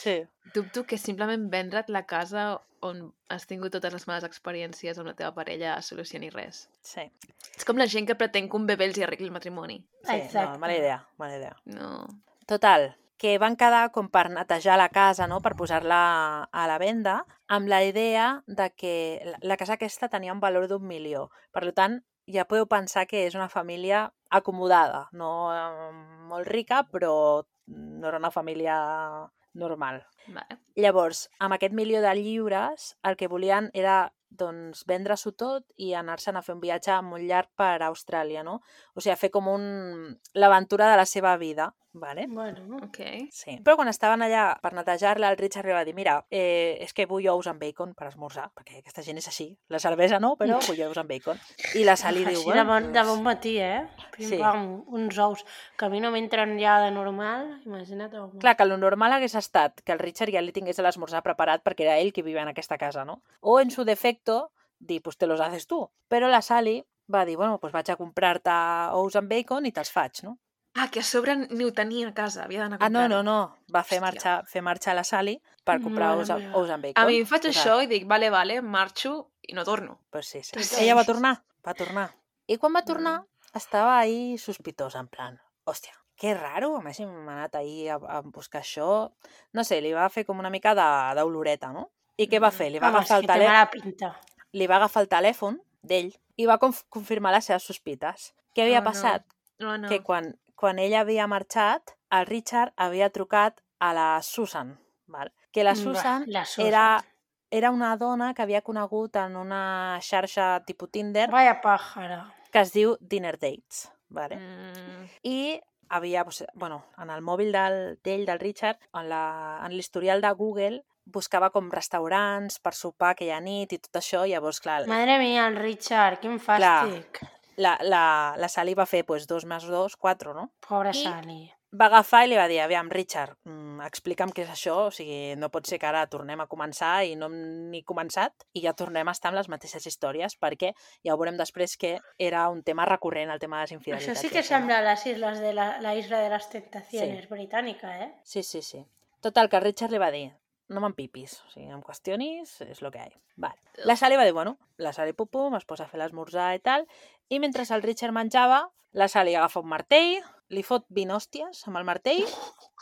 [SPEAKER 3] Sí.
[SPEAKER 1] dubto que simplement vendre't la casa on has tingut totes les males experiències amb la teva parella solucioni res.
[SPEAKER 3] Sí,
[SPEAKER 1] És com la gent que pretén que un bebè els hi arregli el matrimoni.
[SPEAKER 3] sí
[SPEAKER 2] Exacte.
[SPEAKER 3] no, mala idea, mala idea.
[SPEAKER 1] No.
[SPEAKER 3] Total, que van quedar com per netejar la casa, no?, per posar-la a la venda, amb la idea de que la, la casa aquesta tenia un valor d'un milió. Per tant, ja podeu pensar que és una família acomodada, no eh, molt rica, però no era una família normal.
[SPEAKER 1] Vale.
[SPEAKER 3] Llavors, amb aquest milió de lliures, el que volien era doncs, vendre-s'ho tot i anar-se'n a fer un viatge molt llarg per Austràlia, no? O sigui, fer com un... l'aventura de la seva vida, vale?
[SPEAKER 2] Bueno,
[SPEAKER 1] Ok.
[SPEAKER 3] Sí. Però quan estaven allà per netejar-la, el Richard li va dir, mira, eh, és que vull ous amb bacon per esmorzar, perquè aquesta gent és així. La cervesa no, però vull ous amb bacon. I la Sally diu,
[SPEAKER 2] així de bon, de bon matí, eh? Pim,
[SPEAKER 3] Sí.
[SPEAKER 2] pam, uns ous que a mi no m'entren ja de normal, imagina't. Home.
[SPEAKER 3] clar, que el normal hagués estat que el Richard ja li tingués l'esmorzar preparat perquè era ell qui vivia en aquesta casa, no? O, en su defecto, dir, pues te los haces tu. Però la Sally va dir, bueno, pues vaig a comprar-te ous amb bacon i te'ls faig, no?
[SPEAKER 1] Ah, que a sobre ni ho tenia a casa, havia d'anar a
[SPEAKER 3] Ah, no,
[SPEAKER 1] comprar-ho.
[SPEAKER 3] no, no. Va fer
[SPEAKER 1] Hòstia.
[SPEAKER 3] marxar, fer marxar la Sally per comprar
[SPEAKER 2] Mare
[SPEAKER 3] ous, a-
[SPEAKER 2] meva.
[SPEAKER 3] ous amb bacon.
[SPEAKER 1] A mi em faig
[SPEAKER 3] O sigui,
[SPEAKER 1] això i dic, vale, vale, marxo i no torno.
[SPEAKER 3] Pues sí, sí.
[SPEAKER 2] Total.
[SPEAKER 3] Ella va tornar, va tornar. I quan va tornar, estava ahí sospitosa, en plan, hòstia, que raro, a més hem anat ahir a, a buscar això. No sé, li va fer com una mica de- d'oloreta, no? I què va
[SPEAKER 1] Mm.
[SPEAKER 3] fer? Li va,
[SPEAKER 2] Home,
[SPEAKER 3] agafar
[SPEAKER 2] és
[SPEAKER 3] el
[SPEAKER 2] que té
[SPEAKER 3] telèfon,
[SPEAKER 2] mala pinta.
[SPEAKER 3] li va agafar el telèfon d'ell i va conf confirmar les seves sospites. Què havia
[SPEAKER 1] Oh, no.
[SPEAKER 3] passat?
[SPEAKER 1] No, no.
[SPEAKER 3] Que quan, quan ella havia marxat, el Richard havia trucat a la Susan, val? Que la
[SPEAKER 2] Va,
[SPEAKER 3] Susan,
[SPEAKER 2] la Susan.
[SPEAKER 3] Era, era una dona que havia conegut en una xarxa tipus Tinder
[SPEAKER 2] Vaya pàjara.
[SPEAKER 3] que es diu Dinner Dates, vale?
[SPEAKER 1] Mm,
[SPEAKER 3] I havia, pues, bueno, en el mòbil del- d'ell, del Richard, en la- en l'historial de Google, buscava com restaurants per sopar aquella nit i tot això, llavors, clar,
[SPEAKER 2] Madre mia, el Richard, quin fàstic.
[SPEAKER 3] la, la, la Sally va fer pues, dos més dos, quatre, no?
[SPEAKER 2] Pobra
[SPEAKER 3] I-
[SPEAKER 2] Sally.
[SPEAKER 3] Va agafar i li va dir, aviam, Richard, mm, explica'm què és això, o sigui, no pot ser que ara tornem a començar i no hem ni començat i ja tornem a estar amb les mateixes històries, perquè ja ho veurem després que era un tema recurrent, el tema de les infidelitats.
[SPEAKER 2] Això sí
[SPEAKER 3] i
[SPEAKER 2] que
[SPEAKER 3] això, no?
[SPEAKER 2] sembla a les islas de la, la isla de les tentaciones britànica, eh?
[SPEAKER 3] Sí, sí, sí. Total, que el Richard li va dir, no m'empipis, o sigui, em qüestionis, és el que hi ha. Vale. La Sally va dir, bueno, la Sally pum-pum, es posa a fer l'esmorzar i tal, i mentre el Richard menjava, la Sally agafa un martell, li fot vint hòsties amb el martell,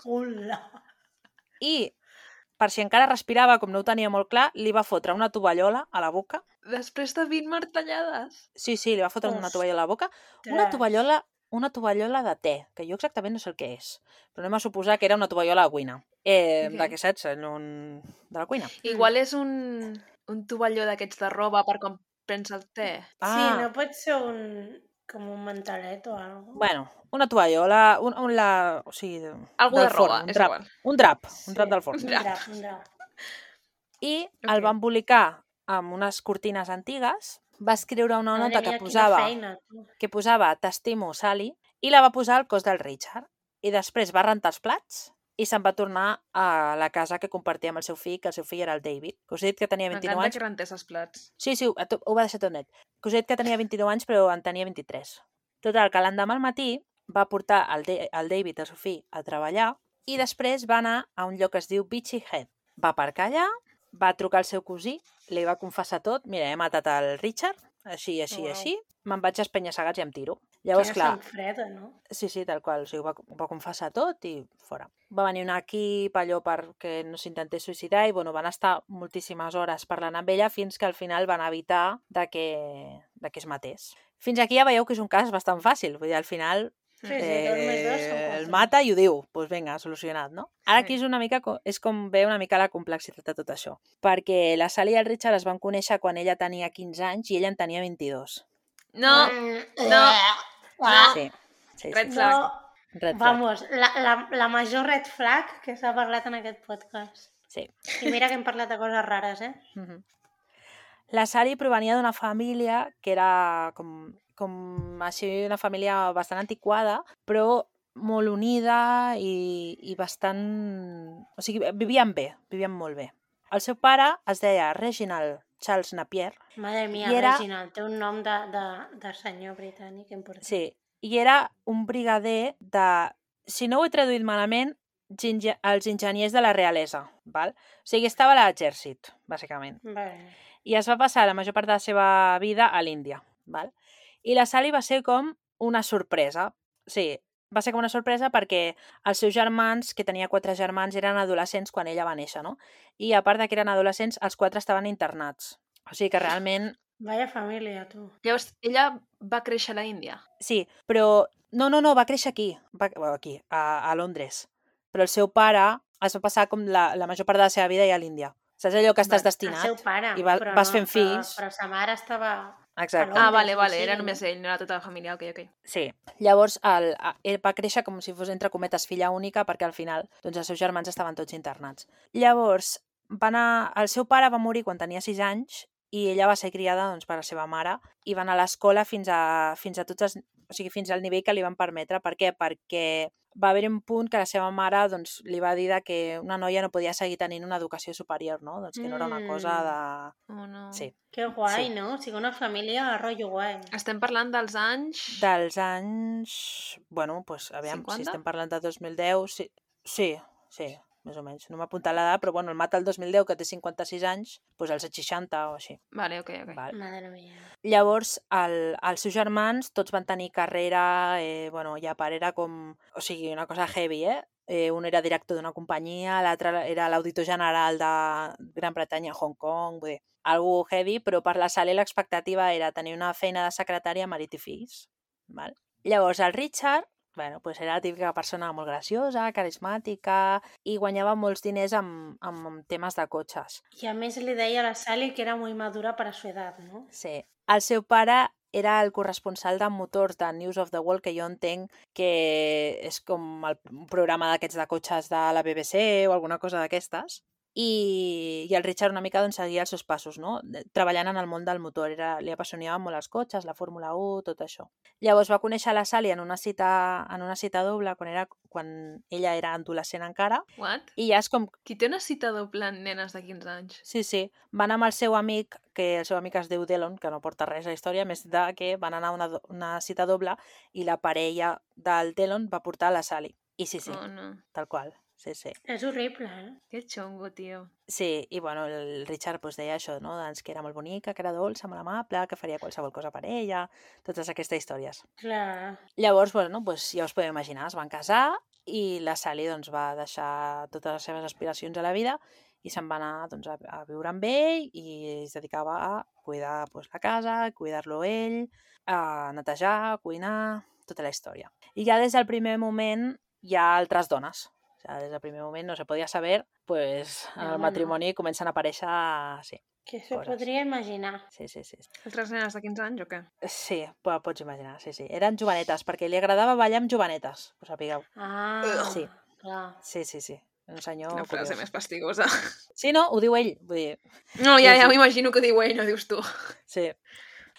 [SPEAKER 2] Hola.
[SPEAKER 3] i, per si encara respirava, com no ho tenia molt clar, li va fotre una tovallola a la boca.
[SPEAKER 1] Després de vint martellades.
[SPEAKER 3] Sí, sí, li va fotre una
[SPEAKER 2] Ostres.
[SPEAKER 3] tovallola a la boca. Una tovallola, una tovallola de te, que jo exactament no sé el que és. Però anem a suposar que era una tovallola de cuina. Eh,
[SPEAKER 1] Ok.
[SPEAKER 3] De què saps? En un... De la cuina.
[SPEAKER 1] Igual és un, un tovalló d'aquests de roba per quan prens el te.
[SPEAKER 2] Sí, no pot ser un... com un mantelet o algo.
[SPEAKER 3] Bueno, una tovallola, un, un la... o sigui,
[SPEAKER 1] Algú
[SPEAKER 3] del
[SPEAKER 1] de roba,
[SPEAKER 3] forn, un
[SPEAKER 1] és
[SPEAKER 3] drap,
[SPEAKER 1] igual.
[SPEAKER 3] un drap, un
[SPEAKER 2] Sí,
[SPEAKER 3] drap del forn.
[SPEAKER 2] Un drap, un drap.
[SPEAKER 3] I
[SPEAKER 1] Ok.
[SPEAKER 3] el va embolicar amb unes cortines antigues, va escriure una nota
[SPEAKER 2] Madre
[SPEAKER 3] que
[SPEAKER 2] mia, quina
[SPEAKER 3] posava,
[SPEAKER 2] feina, tu.
[SPEAKER 3] que posava t'estimo, Sally, i la va posar al cos del Richard. I després va rentar els plats i se'n va tornar a la casa que compartia amb el seu fill, que el seu fill era el David. Que us he dit que tenia vint-i-nou
[SPEAKER 1] M'encanta
[SPEAKER 3] anys.
[SPEAKER 1] que rentés els plats.
[SPEAKER 3] Sí, sí, ho, ho va deixar tot net. Que us he dit que tenia vint-i-nou anys, però en tenia vint-i-tres. Total, que l'endemà al matí va portar el, De el David, el seu fill, a treballar i després va anar a un lloc que es diu Beachy Head. Va aparcar allà, va trucar al seu cosí, li va confessar tot. Mira, he matat el Richard, així, així,
[SPEAKER 2] Uau.
[SPEAKER 3] així. Me'n vaig a espenya-segats i em tiro. Llavors,
[SPEAKER 2] Quina
[SPEAKER 3] clar,
[SPEAKER 2] sang freda, no?
[SPEAKER 3] sí, sí, tal qual. O sigui, ho va, ho va confessar tot i fora. Va venir un equip allò perquè no s'intentés suïcidar i bueno, van estar moltíssimes hores parlant amb ella fins que al final van evitar de que, de que es matés. Fins aquí ja veieu que és un cas bastant fàcil. Vull dir, al final
[SPEAKER 2] Sí, sí, dos més dos són
[SPEAKER 3] eh,
[SPEAKER 2] quatre.
[SPEAKER 3] el mata i ho diu. Doncs pues vinga, solucionat, no? Ara
[SPEAKER 1] Sí.
[SPEAKER 3] aquí és una mica co- és com ve una mica la complexitat de tot això. Perquè la Sally i el Richard es van conèixer quan ella tenia quinze anys i ella en tenia vint-i-dos.
[SPEAKER 1] No,
[SPEAKER 2] Mm,
[SPEAKER 1] no,
[SPEAKER 2] ah,
[SPEAKER 3] Sí, sí,
[SPEAKER 1] Red
[SPEAKER 3] sí.
[SPEAKER 1] flag.
[SPEAKER 2] No,
[SPEAKER 3] Red flag.
[SPEAKER 2] vamos, la, la, la major red flag que s'ha parlat en aquest podcast.
[SPEAKER 3] Sí.
[SPEAKER 2] I mira que hem parlat de coses rares, eh?
[SPEAKER 3] Mhm. La Sally provenia d'una família que era com, com així una família bastant antiquada, però molt unida i, i bastant... O sigui, vivien bé, vivien molt bé. El seu pare es deia Reginald Charles Napier.
[SPEAKER 2] Madre mia,
[SPEAKER 3] era...
[SPEAKER 2] Reginald, té un nom de, de, de senyor britànic important.
[SPEAKER 3] Sí, i era un brigader de, si no ho he traduït malament, ginge... els enginyers de la realesa, val? O sigui, estava a l'exèrcit, bàsicament.
[SPEAKER 2] Vale.
[SPEAKER 3] I es va passar la major part de la seva vida a l'Índia, val? I la Sally va ser com una sorpresa. Sí, va ser com una sorpresa perquè els seus germans, que tenia quatre germans, eren adolescents quan ella va néixer, no? I a part de que eren adolescents, els quatre estaven internats. O sigui que realment...
[SPEAKER 2] Vaya família, tu.
[SPEAKER 1] Llavors, ella va créixer a la Índia?
[SPEAKER 3] Sí, però... No, no, no, va créixer aquí, va... aquí, a, a Londres. Però el seu pare es va passar com la, la major part de la seva vida ja a l'Índia. Saps allò que estàs destinat?
[SPEAKER 2] El seu pare,
[SPEAKER 3] i va,
[SPEAKER 2] però
[SPEAKER 3] vas
[SPEAKER 2] no,
[SPEAKER 3] fent fills.
[SPEAKER 2] Però, però sa mare estava...
[SPEAKER 3] Exacte.
[SPEAKER 1] Ah, vale, vale, era només ell, no era tota la família, ok, ok.
[SPEAKER 3] Sí. Llavors, el, ell va créixer com si fos, entre cometes, filla única, perquè al final doncs, els seus germans estaven tots internats. Llavors, va anar... el seu pare va morir quan tenia sis anys i ella va ser criada doncs, per la seva mare i va anar a l'escola fins a, fins a tots els... o sigui, fins al nivell que li van permetre. Per què? Perquè va haver un punt que la seva mare doncs, li va dir que una noia no podia seguir tenint una educació superior, no? Doncs que no era una cosa de...
[SPEAKER 1] Oh, no.
[SPEAKER 3] Sí.
[SPEAKER 2] Que guai,
[SPEAKER 3] Sí.
[SPEAKER 2] no? O sigui, una família a rotllo guai.
[SPEAKER 1] Estem parlant dels anys...
[SPEAKER 3] Dels anys... Bueno, doncs, aviam,
[SPEAKER 1] cinquanta?
[SPEAKER 3] si estem parlant de dos mil deu... Sí, sí, sí, més o menys. No m'ha apuntat l'edat, però bueno, el mata el dos mil deu, que té cinquanta-sis anys, doncs als seixanta o així.
[SPEAKER 1] Vale, ok, ok.
[SPEAKER 3] Val.
[SPEAKER 2] Madre mia.
[SPEAKER 3] Llavors, el, els seus germans tots van tenir carrera, eh, bueno, ja per era com... O sigui, una cosa heavy, eh? eh un era director d'una companyia, l'altre era l'auditor general de Gran Bretanya, Hong Kong, vull dir, algo heavy, però per la Sally l'expectativa era tenir una feina de secretària, marit i fills. Val? Llavors, el Richard, bueno, pues era la típica persona molt graciosa, carismàtica, i guanyava molts diners amb, amb temes de cotxes.
[SPEAKER 2] I a més li deia a la Sally que era molt madura per a su edat, no?
[SPEAKER 3] Sí. El seu pare era el corresponsal de motors de News of the World, que jo entenc que és com el, un programa d'aquests de cotxes de la B B C o alguna cosa d'aquestes. I, i el Richard una mica doncs, seguia els seus passos, no? Treballant en el món del motor. Era, li apassionaven molt els cotxes, la Fórmula u, tot això. Llavors va conèixer la Sally en una cita, en una cita doble quan, era, quan ella era adolescent encara.
[SPEAKER 1] What?
[SPEAKER 3] I ja és com...
[SPEAKER 1] Qui té una cita doble en nenes de quinze anys?
[SPEAKER 3] Sí, sí. Van amb el seu amic, que el seu amic es diu Delon, que no porta res a la història, més de que van anar a una, una cita doble i la parella del Delon va portar la Sally. I sí, sí,
[SPEAKER 1] Oh, no.
[SPEAKER 3] tal qual. Sí, sí.
[SPEAKER 2] És horrible, eh?
[SPEAKER 1] Que xongo, tio.
[SPEAKER 3] Sí, i bueno, el Richard pues, deia això, no? Doncs que era molt bonica, que era dolça, molt amable, que faria qualsevol cosa per ella, totes aquestes històries.
[SPEAKER 2] Clar.
[SPEAKER 3] Llavors, bueno, pues, ja us podeu imaginar, es van casar i la Sally doncs, va deixar totes les seves aspiracions a la vida i se'n va anar doncs, a, a viure amb ell i es dedicava a cuidar pues, la casa, cuidar-lo ell, a netejar, a cuinar, tota la història. I ja des del primer moment hi ha altres dones. O sea, des del primer moment no se podia saber, pues en
[SPEAKER 2] No,
[SPEAKER 3] el
[SPEAKER 2] home,
[SPEAKER 3] matrimoni comencen a aparèixer, sí,
[SPEAKER 2] Que s'ho
[SPEAKER 3] Coses.
[SPEAKER 2] podria imaginar.
[SPEAKER 3] sí, sí, sí.
[SPEAKER 1] Altres nenes de quinze anys o què?
[SPEAKER 3] Sí, po- pots imaginar, sí, sí. Eren jovenetes, perquè li agradava ballar amb jovenetes, ho sapigueu.
[SPEAKER 2] Ah,
[SPEAKER 3] Sí.
[SPEAKER 2] clar.
[SPEAKER 3] Sí, sí, sí. Un senyor
[SPEAKER 1] Quina frase
[SPEAKER 3] curiós.
[SPEAKER 1] més fastigosa.
[SPEAKER 3] Sí, no? Ho diu ell. Vull dir,
[SPEAKER 1] No, ja,
[SPEAKER 3] Sí,
[SPEAKER 1] ja
[SPEAKER 3] sí.
[SPEAKER 1] m'imagino que diu ell, no dius tu.
[SPEAKER 3] sí.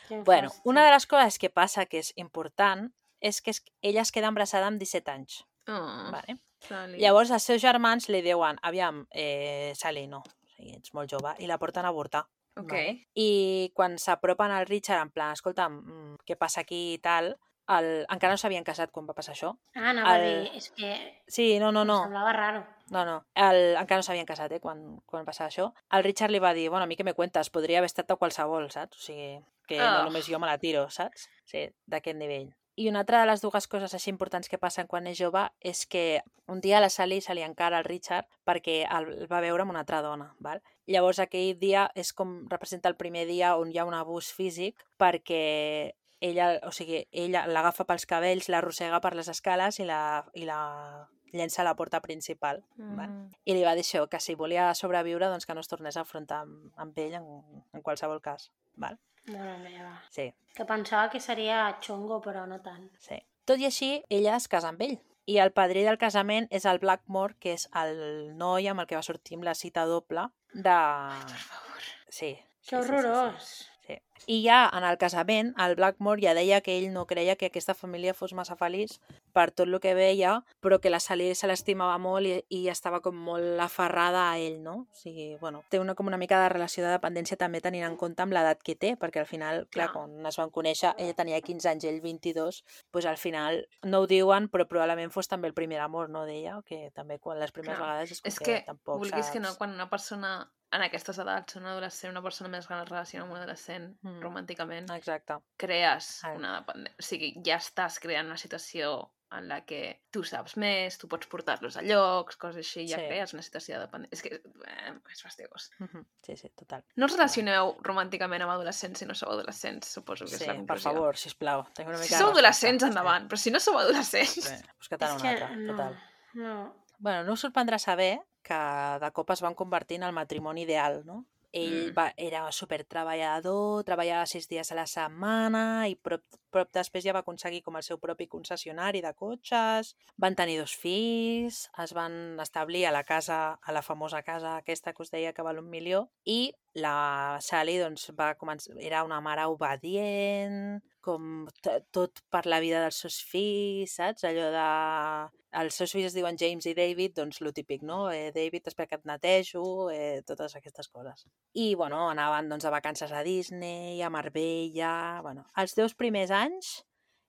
[SPEAKER 2] Quin
[SPEAKER 3] Bueno,
[SPEAKER 2] fàstic.
[SPEAKER 3] una de les coses que passa que és important és que es- ella es queda embarassada amb disset anys.
[SPEAKER 1] Oh,
[SPEAKER 3] Vale?
[SPEAKER 1] Sally.
[SPEAKER 3] Llavors els seus germans li diuen, aviam, eh, Sally, no, o sigui, ets molt jove, i la porten a avortar.
[SPEAKER 1] Ok.
[SPEAKER 3] Vale? I quan s'apropen al Richard, en plan, escolta'm, mm, què passa aquí i tal, el... encara no s'havien casat quan va passar això.
[SPEAKER 2] Ah, anava
[SPEAKER 3] el-
[SPEAKER 2] a dir, és que
[SPEAKER 3] Sí, no, no,
[SPEAKER 2] em
[SPEAKER 3] no,
[SPEAKER 2] semblava raro.
[SPEAKER 3] no, no. El... encara no s'havien casat, eh, quan, quan va passar això. El Richard li va dir, bueno, a mi què me cuentes, podria haver estat a qualsevol, saps? O sigui, que no
[SPEAKER 1] Oh.
[SPEAKER 3] només jo me la tiro, saps? Sí, d'aquest nivell. I una altra de les dues coses així importants que passen quan és jove és que un dia a la Sally se li encara al Richard perquè el va veure amb una altra dona, val? Llavors aquell dia és com representa el primer dia on hi ha un abús físic perquè ella, o sigui, ella l'agafa pels cabells, l'arrossega per les escales i la, i la llença a la porta principal. Val?
[SPEAKER 1] Mm.
[SPEAKER 3] I li va dir això, que si volia sobreviure doncs que no es tornés a enfrontar amb, amb ell en, en qualsevol cas. Val?
[SPEAKER 2] Mare meva.
[SPEAKER 3] Sí,
[SPEAKER 2] Que pensava que seria xongo, però no tant.
[SPEAKER 3] sí. Tot i així, ella es casa amb ell. I el padrí del casament és el Blackmore, que és el noi amb el que va sortir amb la cita doble de...
[SPEAKER 1] Per favor.
[SPEAKER 3] Sí,
[SPEAKER 2] Que horrorós.
[SPEAKER 3] Sí. I ja en el casament, el Blackmore ja deia que ell no creia que aquesta família fos massa feliç per tot el que veia, però que la Sally se l'estimava molt i, i estava com molt aferrada a ell, no? O sigui, bueno, té una, com una mica de relació de dependència també tenint en compte amb l'edat que té, perquè al final, clar,
[SPEAKER 1] Clar.
[SPEAKER 3] quan es van conèixer, ella tenia quinze anys, ell vint-i-dos, doncs al final no ho diuen, però probablement fos també el primer amor, no, d'ella, que també quan les primeres
[SPEAKER 1] Clar.
[SPEAKER 3] vegades és com
[SPEAKER 1] És
[SPEAKER 3] que,
[SPEAKER 1] que,
[SPEAKER 3] tampoc
[SPEAKER 1] vulguis
[SPEAKER 3] saps...
[SPEAKER 1] que no, quan una persona en aquestes edats, una adolescent, una persona més gran es relaciona amb un adolescent
[SPEAKER 3] Mm.
[SPEAKER 1] romànticament,
[SPEAKER 3] Exacte.
[SPEAKER 1] crees
[SPEAKER 3] Ah.
[SPEAKER 1] una dependència. O sigui, ja estàs creant una situació en la que tu saps més, tu pots portar-los a llocs, coses així, ja
[SPEAKER 3] Sí.
[SPEAKER 1] crees una situació de dependència. És que eh, és fastidiós.
[SPEAKER 3] Mhm. Sí, sí, total.
[SPEAKER 1] No us relacioneu romànticament amb adolescents si no sou adolescents, suposo que
[SPEAKER 3] Sí,
[SPEAKER 1] és la
[SPEAKER 3] per
[SPEAKER 1] conclusió.
[SPEAKER 3] favor, sisplau, tinc una
[SPEAKER 1] Si
[SPEAKER 3] mica de
[SPEAKER 1] sou
[SPEAKER 3] respecte.
[SPEAKER 1] adolescents, endavant, però si no sou adolescents...
[SPEAKER 3] Sí, us quedarà
[SPEAKER 2] És
[SPEAKER 3] una
[SPEAKER 2] que
[SPEAKER 3] altra,
[SPEAKER 2] no,
[SPEAKER 3] total.
[SPEAKER 2] no.
[SPEAKER 3] Bueno, no us sorprendrà saber que de cop es van convertir en el matrimoni ideal, no? Ell
[SPEAKER 1] Mm.
[SPEAKER 3] va, era super treballador, treballava sis dies a la setmana i prop, prop després ja va aconseguir com el seu propi concessionari de cotxes, van tenir dos fills, es van establir a la casa, a la famosa casa aquesta que us deia que val un milió, i la Sally doncs, va començar, era una mare obedient, com t- tot per la vida dels seus fills, saps? Allò de... Els seus fills es diuen James i David, doncs lo típic, no? Eh, David, espera que et netejo, eh, totes aquestes coses. I, bueno, anaven doncs, a vacances a Disney, a Marbella... Bueno, els dos primers anys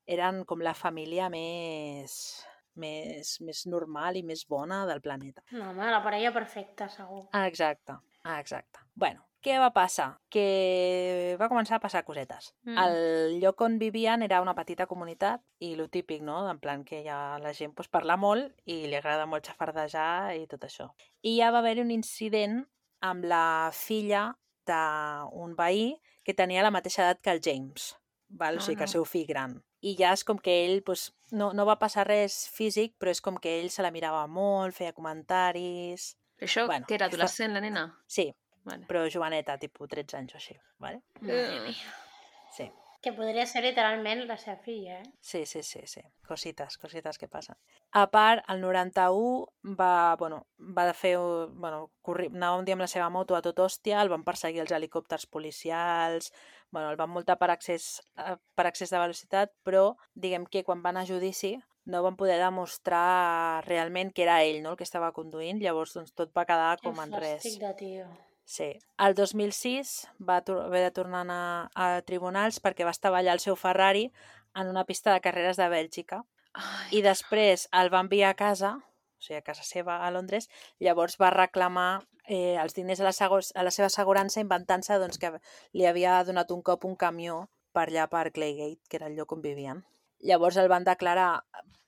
[SPEAKER 3] eren com la família més, més, més normal i més bona del planeta.
[SPEAKER 2] No, home, la parella perfecta, segur.
[SPEAKER 3] Ah, exacte, ah, exacte. Bueno, què va passar? Que va començar a passar cosetes.
[SPEAKER 1] Mm.
[SPEAKER 3] El lloc on vivien era una petita comunitat i lo típic, no? En plan que ja la gent pues, parla molt i li agrada molt xafardejar i tot això. I ja va haver un incident amb la filla d'un veí que tenia la mateixa edat que el James, val? O
[SPEAKER 1] Oh,
[SPEAKER 3] sigui que el
[SPEAKER 1] no.
[SPEAKER 3] seu fill gran. I ja és com que ell, pues, no, no va passar res físic, però és com que ell se la mirava molt, feia comentaris...
[SPEAKER 1] Això,
[SPEAKER 3] Bueno,
[SPEAKER 1] que era
[SPEAKER 3] fa-
[SPEAKER 1] adolescent, la nena?
[SPEAKER 3] Sí,
[SPEAKER 1] Vale.
[SPEAKER 3] però joveneta, tipus tretze anys o així, vale?
[SPEAKER 2] Madre
[SPEAKER 1] Eh.
[SPEAKER 2] mia.
[SPEAKER 3] Sí,
[SPEAKER 2] Que podria ser literalment la seva filla, eh?
[SPEAKER 3] sí, sí, sí, sí. Cosites, cosites que passen. A part, el noranta-u va, bueno, va fer, bueno, corri... anava un dia amb la seva moto a tot hòstia, el van perseguir els helicòpters policials, bueno, el van multar per excés, eh, per excés de velocitat, però diguem que quan van a judici no van poder demostrar realment que era ell, no?, el que estava conduint, llavors doncs, tot va quedar
[SPEAKER 2] Que
[SPEAKER 3] com en res.
[SPEAKER 2] fàstic de tio.
[SPEAKER 3] Sí. El dos mil sis va tor- haver de tornar a anar a tribunals perquè va estavellar el seu Ferrari en una pista de carreres de Bèlgica
[SPEAKER 1] Ai,
[SPEAKER 3] i després el va enviar a casa, o sigui, a casa seva a Londres, llavors va reclamar eh, els diners a la, sego- a la seva assegurança inventant-se doncs, que li havia donat un cop un camió per allà per Claygate, que era el lloc on vivien. Llavors el van declarar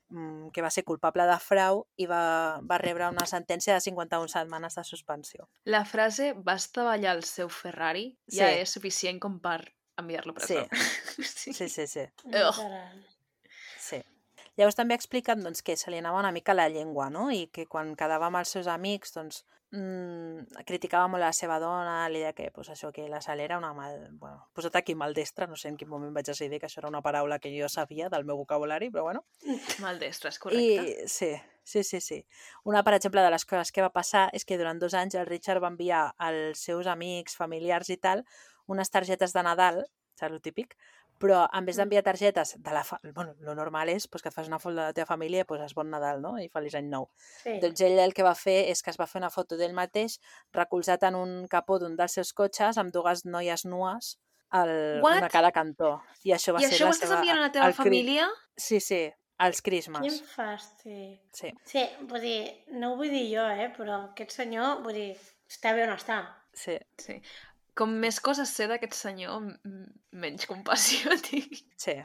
[SPEAKER 3] mm, que va ser culpable de frau i va, va rebre una sentència de cinquanta-una setmanes de suspensió.
[SPEAKER 1] la frase va estavellar el seu Ferrari ja
[SPEAKER 3] Sí.
[SPEAKER 1] és suficient com per enviar-lo a presó. Sí.
[SPEAKER 3] Sí, sí, sí.
[SPEAKER 2] Literal.
[SPEAKER 3] Sí. Llavors també expliquen doncs, que se li anava una mica la llengua, no? I que quan quedava amb els seus amics doncs, mmm, criticava molt la seva dona, li deia que, pues, això, que la Sal era una mal... Bueno, posat aquí maldestra, no sé en quin moment vaig decidir que això era una paraula que jo sabia del meu vocabulari, però bueno.
[SPEAKER 1] Maldestre, és correcte.
[SPEAKER 3] I sí, sí, sí, sí. Una, per exemple, de les coses que va passar és que durant dos anys el Richard va enviar als seus amics, familiars i tal, unes targetes de Nadal, saps el típic? Però en vez d'enviar targetes de la... Fa... Bueno, lo normal és pues, que et fas una foto de la teva família i poses bon Nadal, no? I feliç any nou.
[SPEAKER 2] Sí.
[SPEAKER 3] Doncs ell el que va fer és que es va fer una foto d'ell mateix recolzat en un capó d'un dels seus cotxes amb dues noies nues, el,
[SPEAKER 1] What?
[SPEAKER 3] una a cada cantó. I això va
[SPEAKER 1] I
[SPEAKER 3] ser
[SPEAKER 1] això
[SPEAKER 3] la
[SPEAKER 1] ho estàs
[SPEAKER 3] seva...
[SPEAKER 1] enviant a la teva
[SPEAKER 3] el cri-
[SPEAKER 1] família?
[SPEAKER 3] Sí, sí, els
[SPEAKER 2] Quin
[SPEAKER 3] crismes.
[SPEAKER 2] fàstic.
[SPEAKER 3] Sí,
[SPEAKER 2] Sí, vull dir, no ho vull dir jo, eh, però aquest senyor, vull dir, està bé on està.
[SPEAKER 3] sí.
[SPEAKER 1] Sí. Com més coses sé d'aquest senyor, m- m- menys compassió tinc.
[SPEAKER 3] Sí,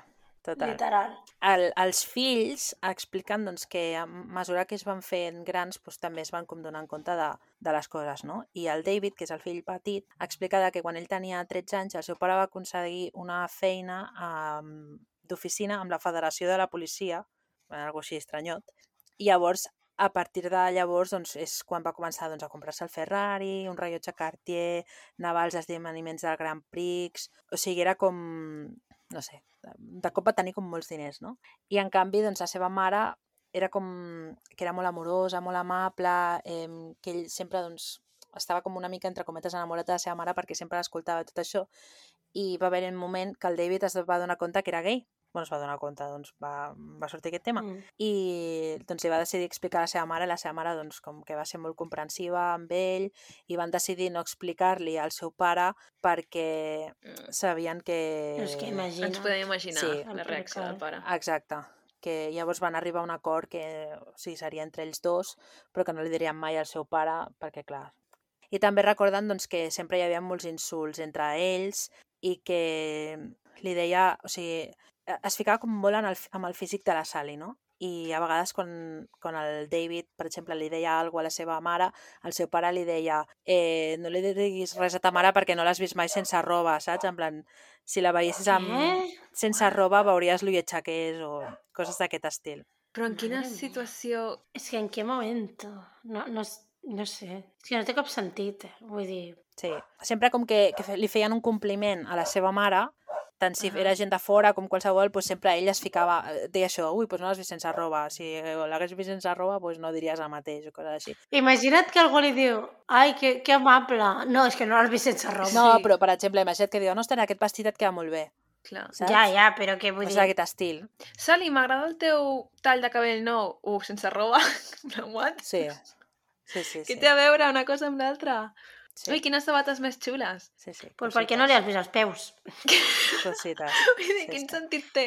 [SPEAKER 3] total.
[SPEAKER 2] Literal.
[SPEAKER 3] El, els fills expliquen doncs, que a mesura que es van fent grans doncs, també es van com donant compte de, de les coses, no? I el David, que és el fill petit, explica que quan ell tenia tretze anys el seu pare va aconseguir una feina um, d'oficina amb la Federació de la Policia, algo així estranyot, i llavors a partir de llavors doncs, és quan va començar doncs, a comprar-se el Ferrari, un rellotge Cartier, anar als esdeveniments del Grand Prix, o sigui, era com, no sé, de cop va tenir com molts diners, no? I en canvi, doncs, la seva mare era com que era molt amorosa, molt amable, eh, que ell sempre doncs, estava com una mica, entre cometes, enamorat de la seva mare perquè sempre l'escoltava tot això, i va haver un moment que el David es va donar compte que era gay. Bueno, es va donar compte, doncs va, va sortir aquest tema.
[SPEAKER 2] Mm.
[SPEAKER 3] I doncs li va decidir explicar a la seva mare, la seva mare doncs com que va ser molt comprensiva amb ell, i van decidir no explicar-li al seu pare perquè sabien que...
[SPEAKER 2] És que imagina.
[SPEAKER 1] Ens podem imaginar
[SPEAKER 3] Sí.
[SPEAKER 1] la reacció del pare.
[SPEAKER 3] Exacte, que llavors van arribar a un acord que o sigui, seria entre ells dos, però que no li dirien mai al seu pare, perquè clar... I també recorden doncs, que sempre hi havia molts insults entre ells i que li deia... O sigui, es ficava com molt en el, amb el físic de la Sally, no? I a vegades quan, quan el David, per exemple, li deia alguna cosa a la seva mare, el seu pare li deia eh, no li diguis res a ta mare perquè no l'has vist mai sense roba, saps? En plan, si la veiessis amb,
[SPEAKER 2] Què?
[SPEAKER 3] sense roba veuries lo lletja que és o coses d'aquest estil.
[SPEAKER 1] Però en quina
[SPEAKER 2] Madre mía.
[SPEAKER 1] situació...
[SPEAKER 2] És que en què moment? No, no, no sé. És que no té cap sentit, eh? Vull dir...
[SPEAKER 3] Sí, sempre com que, que fe- li feien un compliment a la seva mare, tant si
[SPEAKER 1] Ahà.
[SPEAKER 3] era gent de fora com qualsevol, doncs sempre ell es ficava, eh, deia això, ui, doncs no l'has vist sense roba, si l'hagués vist sense roba, doncs no diries el mateix o coses així.
[SPEAKER 2] Imagina't que algú li diu ai, que, que amable. No, és que no l'has vist sense roba.
[SPEAKER 3] No,
[SPEAKER 1] Sí.
[SPEAKER 3] però per exemple, imagina't que diu, no, ostres, aquest vestit et queda molt bé,
[SPEAKER 1] Clar.
[SPEAKER 3] saps?
[SPEAKER 2] Ja, ja, però què vull
[SPEAKER 3] No
[SPEAKER 2] dir...
[SPEAKER 3] és d'aquest estil.
[SPEAKER 1] Sally, m'agrada el teu tall de cabell nou. Uh, sense roba? What?
[SPEAKER 3] Sí, sí, sí.
[SPEAKER 1] Què
[SPEAKER 3] sí.
[SPEAKER 1] té a veure una cosa amb l'altra?
[SPEAKER 3] Sí,
[SPEAKER 1] Ui, quines sabates més xules.
[SPEAKER 3] sí, sí.
[SPEAKER 2] Pues per què no li has vist els peus?
[SPEAKER 3] Cosites.
[SPEAKER 1] Vull dir,
[SPEAKER 3] Sí,
[SPEAKER 1] quin
[SPEAKER 3] sí.
[SPEAKER 1] sentit té?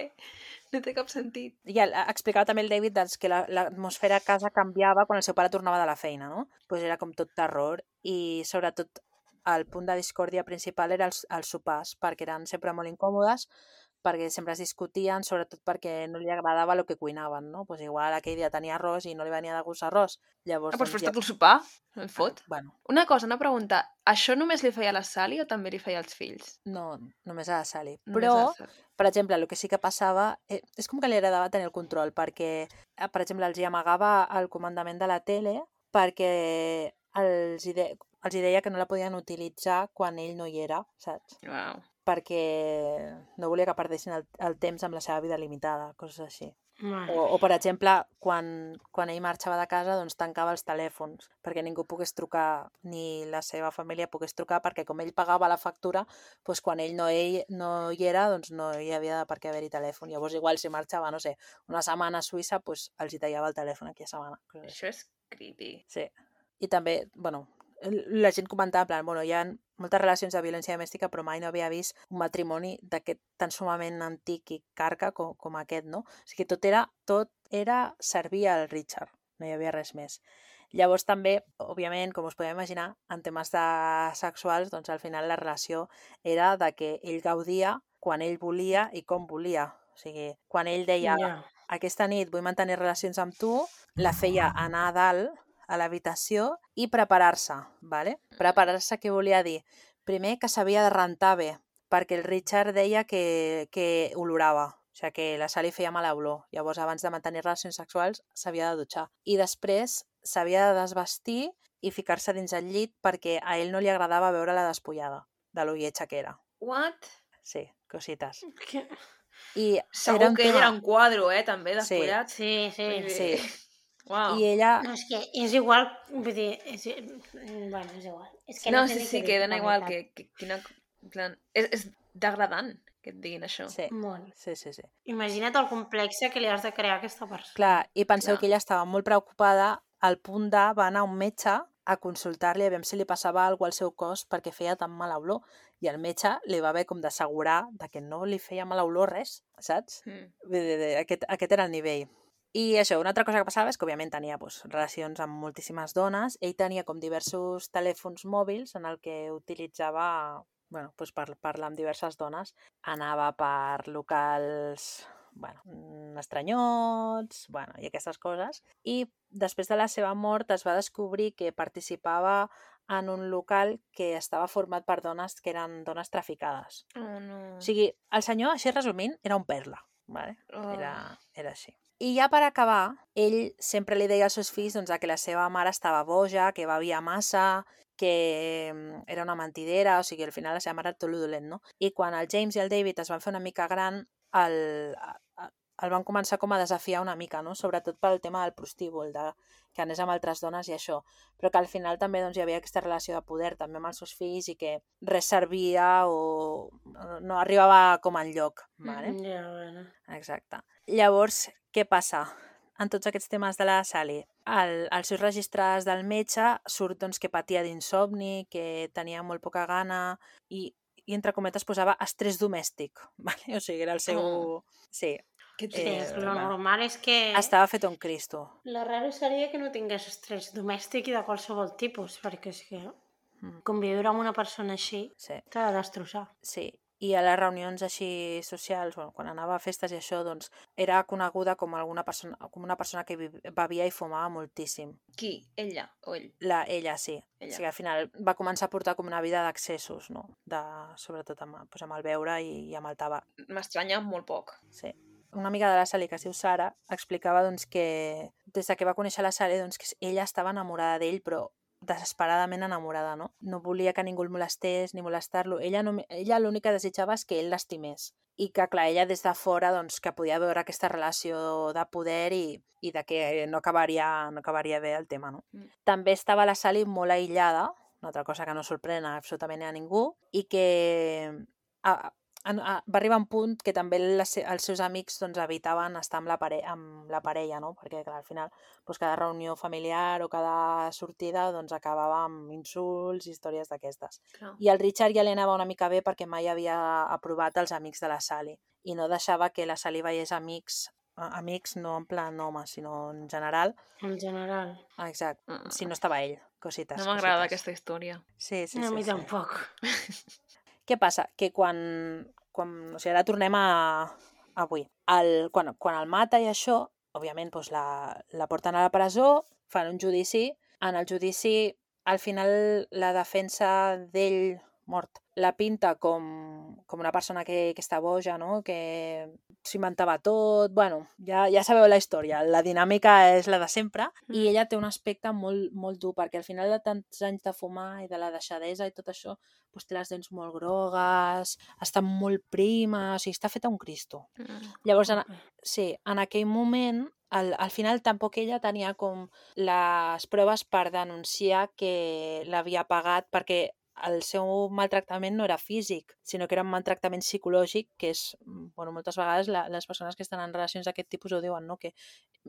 [SPEAKER 1] No té cap sentit.
[SPEAKER 3] I el- explicava també el David doncs, que la- l'atmosfera a casa canviava quan el seu pare tornava de la feina, no? Pues era com tot terror i sobretot el punt de discòrdia principal era els, els sopars, perquè eren sempre molt incòmodes, perquè sempre es discutien, sobretot perquè no li agradava el que cuinaven, no? Pues igual aquell dia tenia arròs i no li venia de gust arròs. Llavors,
[SPEAKER 1] Ah, doncs
[SPEAKER 3] doncs,
[SPEAKER 1] fes-te el sopar. No el fot.
[SPEAKER 3] Bueno,
[SPEAKER 1] Una cosa, una pregunta. Això només li feia a la Sally o també li feia als fills?
[SPEAKER 3] no, només a la Sally.
[SPEAKER 1] Només
[SPEAKER 3] Però,
[SPEAKER 1] a la Sally.
[SPEAKER 3] per exemple, el que sí que passava eh, és com que li agradava tenir el control, perquè, eh, per exemple, els hi amagava el comandament de la tele perquè els hi, de, els hi deia que no la podien utilitzar quan ell no hi era, saps?
[SPEAKER 1] Uau.
[SPEAKER 3] Perquè no volia que perdessin el, el temps amb la seva vida limitada, coses així.
[SPEAKER 2] Mare
[SPEAKER 3] O, o per exemple, quan, quan ell marxava de casa, doncs tancava els telèfons, perquè ningú pogués trucar, ni la seva família pogués trucar, perquè com ell pagava la factura, doncs quan ell no, ell no hi era, doncs no hi havia de per què haver-hi telèfon. Llavors, igual, si marxava, no sé, una setmana a Suïssa, doncs els hi tallava el telèfon aquella setmana. coses així.
[SPEAKER 1] Això és creepy.
[SPEAKER 3] Sí. I també, bueno, la gent comentava, en plan, bueno, hi ha moltes relacions de violència domèstica, però mai no havia vist un matrimoni d'aquest tan sumament antic i carca com, com aquest, no? O sigui, tot era, tot era servir al Richard, no hi havia res més. Llavors també, òbviament, com us podeu imaginar, en temes de sexuals, doncs al final la relació era de que ell gaudia quan ell volia i com volia. O sigui, quan ell deia,
[SPEAKER 2] Ja.
[SPEAKER 3] aquesta nit vull mantenir relacions amb tu, la feia anar a dalt a l'habitació i preparar-se, ¿vale? Preparar-se què volia dir? Primer que s'havia de rentar bé, perquè el Richard deia que, que olorava, o sigui que la Sally feia mala olor. Llavors, abans de mantenir relacions sexuals, s'havia de dutxar. I després s'havia de desvestir i ficar-se dins el llit perquè a ell no li agradava veure-la despullada, de lo lletja que era.
[SPEAKER 1] What?
[SPEAKER 3] Sí, cosites.
[SPEAKER 2] Que...
[SPEAKER 3] I
[SPEAKER 1] Segur
[SPEAKER 3] era un
[SPEAKER 1] que ell
[SPEAKER 3] tema...
[SPEAKER 1] era un quadro, eh, també,
[SPEAKER 3] Sí.
[SPEAKER 1] despullat.
[SPEAKER 2] Sí, sí.
[SPEAKER 1] Vull dir,
[SPEAKER 3] Sí.
[SPEAKER 1] Uau.
[SPEAKER 3] I ella...
[SPEAKER 2] No, és que és igual, vull dir, és, bueno, és igual. És que
[SPEAKER 1] No,
[SPEAKER 2] sé
[SPEAKER 1] sí,
[SPEAKER 2] ni
[SPEAKER 1] sí,
[SPEAKER 2] què
[SPEAKER 1] que
[SPEAKER 2] dir,
[SPEAKER 1] dona
[SPEAKER 2] la
[SPEAKER 1] igual,
[SPEAKER 2] veritat.
[SPEAKER 1] que, que quina... en plan, és, és degradant que et diguin això.
[SPEAKER 3] Sí,
[SPEAKER 2] Molt.
[SPEAKER 3] sí, sí, sí.
[SPEAKER 2] Imagina't el complexe que li has de crear a aquesta persona.
[SPEAKER 3] Clar, i penseu
[SPEAKER 1] Clar.
[SPEAKER 3] que ella estava molt preocupada al punt de va anar a un metge a consultar-li a veure si li passava alguna cosa al seu cos perquè feia tan mala olor. I el metge li va haver com d'assegurar de que no li feia mala olor res, saps?
[SPEAKER 1] Mm.
[SPEAKER 3] Vull dir, Aquest, aquest era el nivell. I això, una altra cosa que passava és que, òbviament, tenia doncs, relacions amb moltíssimes dones. Ell tenia com diversos telèfons mòbils en el que utilitzava bueno, doncs per parlar amb diverses dones. Anava per locals bueno, mm, estranyots bueno, i aquestes coses. I després de la seva mort es va descobrir que participava en un local que estava format per dones que eren dones traficades.
[SPEAKER 1] Oh, no.
[SPEAKER 3] O sigui, el senyor, així resumint, era un perla. Vale?
[SPEAKER 1] Oh.
[SPEAKER 3] Era, era així. I ja per acabar, ell sempre li deia als seus fills doncs, que la seva mare estava boja, que bevia massa, que mm, era una mentidera, o sigui, al final la seva mare era tot lo dolent, no? I quan el James i el David es van fer una mica gran, el, el van començar com a desafiar una mica, no? Sobretot pel tema del prostíbul, de que anés amb altres dones i això, però que al final també doncs, hi havia aquesta relació de poder també amb els seus fills i que res servia o no arribava com enlloc. Vale?
[SPEAKER 2] Mm, ja, bueno.
[SPEAKER 3] Exacte. Llavors, què passa? En tots aquests temes de la Sally, el, els seus registres del metge surt doncs, que patia d'insomni, que tenia molt poca gana i, i entre cometes posava estrès domèstic. Vale? O sigui, era el seu...
[SPEAKER 1] Oh.
[SPEAKER 3] Sí.
[SPEAKER 1] Que
[SPEAKER 2] Sí,
[SPEAKER 3] Eh,
[SPEAKER 2] lo normal és que...
[SPEAKER 3] Estava fet un Cristo.
[SPEAKER 2] Lo raro seria que no tingués estrès domèstic i de qualsevol tipus, perquè és que
[SPEAKER 3] Mm.
[SPEAKER 2] conviure amb una persona així
[SPEAKER 3] Sí.
[SPEAKER 2] t'ha de destrossar.
[SPEAKER 3] Sí, i a les reunions així socials, bueno, quan anava a festes i això, doncs era coneguda com alguna persona, com una persona que vi- bevia i fumava moltíssim.
[SPEAKER 1] Qui? Ella o ell?
[SPEAKER 3] La, ella sí.
[SPEAKER 1] Ella.
[SPEAKER 3] O sigui, al final va començar a portar com una vida d'accessos, no? De, sobretot amb, doncs amb el beure i, i amb el tabac.
[SPEAKER 1] M'estranya molt poc.
[SPEAKER 3] Sí. Una amiga de la Sally, que es diu Sara, explicava doncs, que des de que va conèixer la Sally, doncs, que ella estava enamorada d'ell, però desesperadament enamorada, no? No volia que ningú el molestés ni molestar-lo. Ella, no, ella l'únic que desitjava és que ell l'estimés. I que, clar, ella des de fora doncs, que podia veure aquesta relació de poder i, i de que no acabaria, no acabaria bé el tema, no?
[SPEAKER 1] Mm.
[SPEAKER 3] També estava la Sally molt aïllada, una altra cosa que no sorprèn absolutament a ningú, i que a, a, a, va arribar un punt que també les, els seus amics doncs, evitaven estar amb la, pare, amb la parella, no? Perquè clar, al final doncs, cada reunió familiar o cada sortida doncs, acabava amb insults i històries d'aquestes.
[SPEAKER 1] Clar.
[SPEAKER 3] I el Richard ja li anava una mica bé perquè mai havia aprovat els amics de la Sally i no deixava que la Sally veiés amics, amics no en plan home, sinó en general.
[SPEAKER 2] En general.
[SPEAKER 3] Exacte,
[SPEAKER 1] Mm.
[SPEAKER 3] si no estava ell. Cosites,
[SPEAKER 1] No m'agrada
[SPEAKER 3] cosites.
[SPEAKER 1] aquesta història.
[SPEAKER 3] Sí, sí,
[SPEAKER 2] A
[SPEAKER 3] sí.
[SPEAKER 2] mi
[SPEAKER 3] sí.
[SPEAKER 2] tampoc.
[SPEAKER 3] Què passa? Que quan... quan o sigui, ara tornem a, a avui. El, quan, quan el mata i això, òbviament doncs la, la porten a la presó, fan un judici. En el judici, al final, la defensa d'ell mort la pinta com, com una persona que, que està boja, no? Que s'inventava tot... Bueno, ja, ja sabeu la història. La dinàmica és la de sempre mm. i ella té un aspecte molt, molt dur perquè al final de tants anys de fumar i de la deixadesa i tot això doncs té les dents molt grogues, està molt prima, o sigui, està feta un Cristo.
[SPEAKER 1] Mm.
[SPEAKER 3] Llavors, en, sí, en aquell moment, al, al final tampoc ella tenia com les proves per denunciar que l'havia pagat perquè el seu maltractament no era físic, sinó que era un maltractament psicològic, que és, bueno, moltes vegades la, les persones que estan en relacions d'aquest tipus ho diuen, no? Que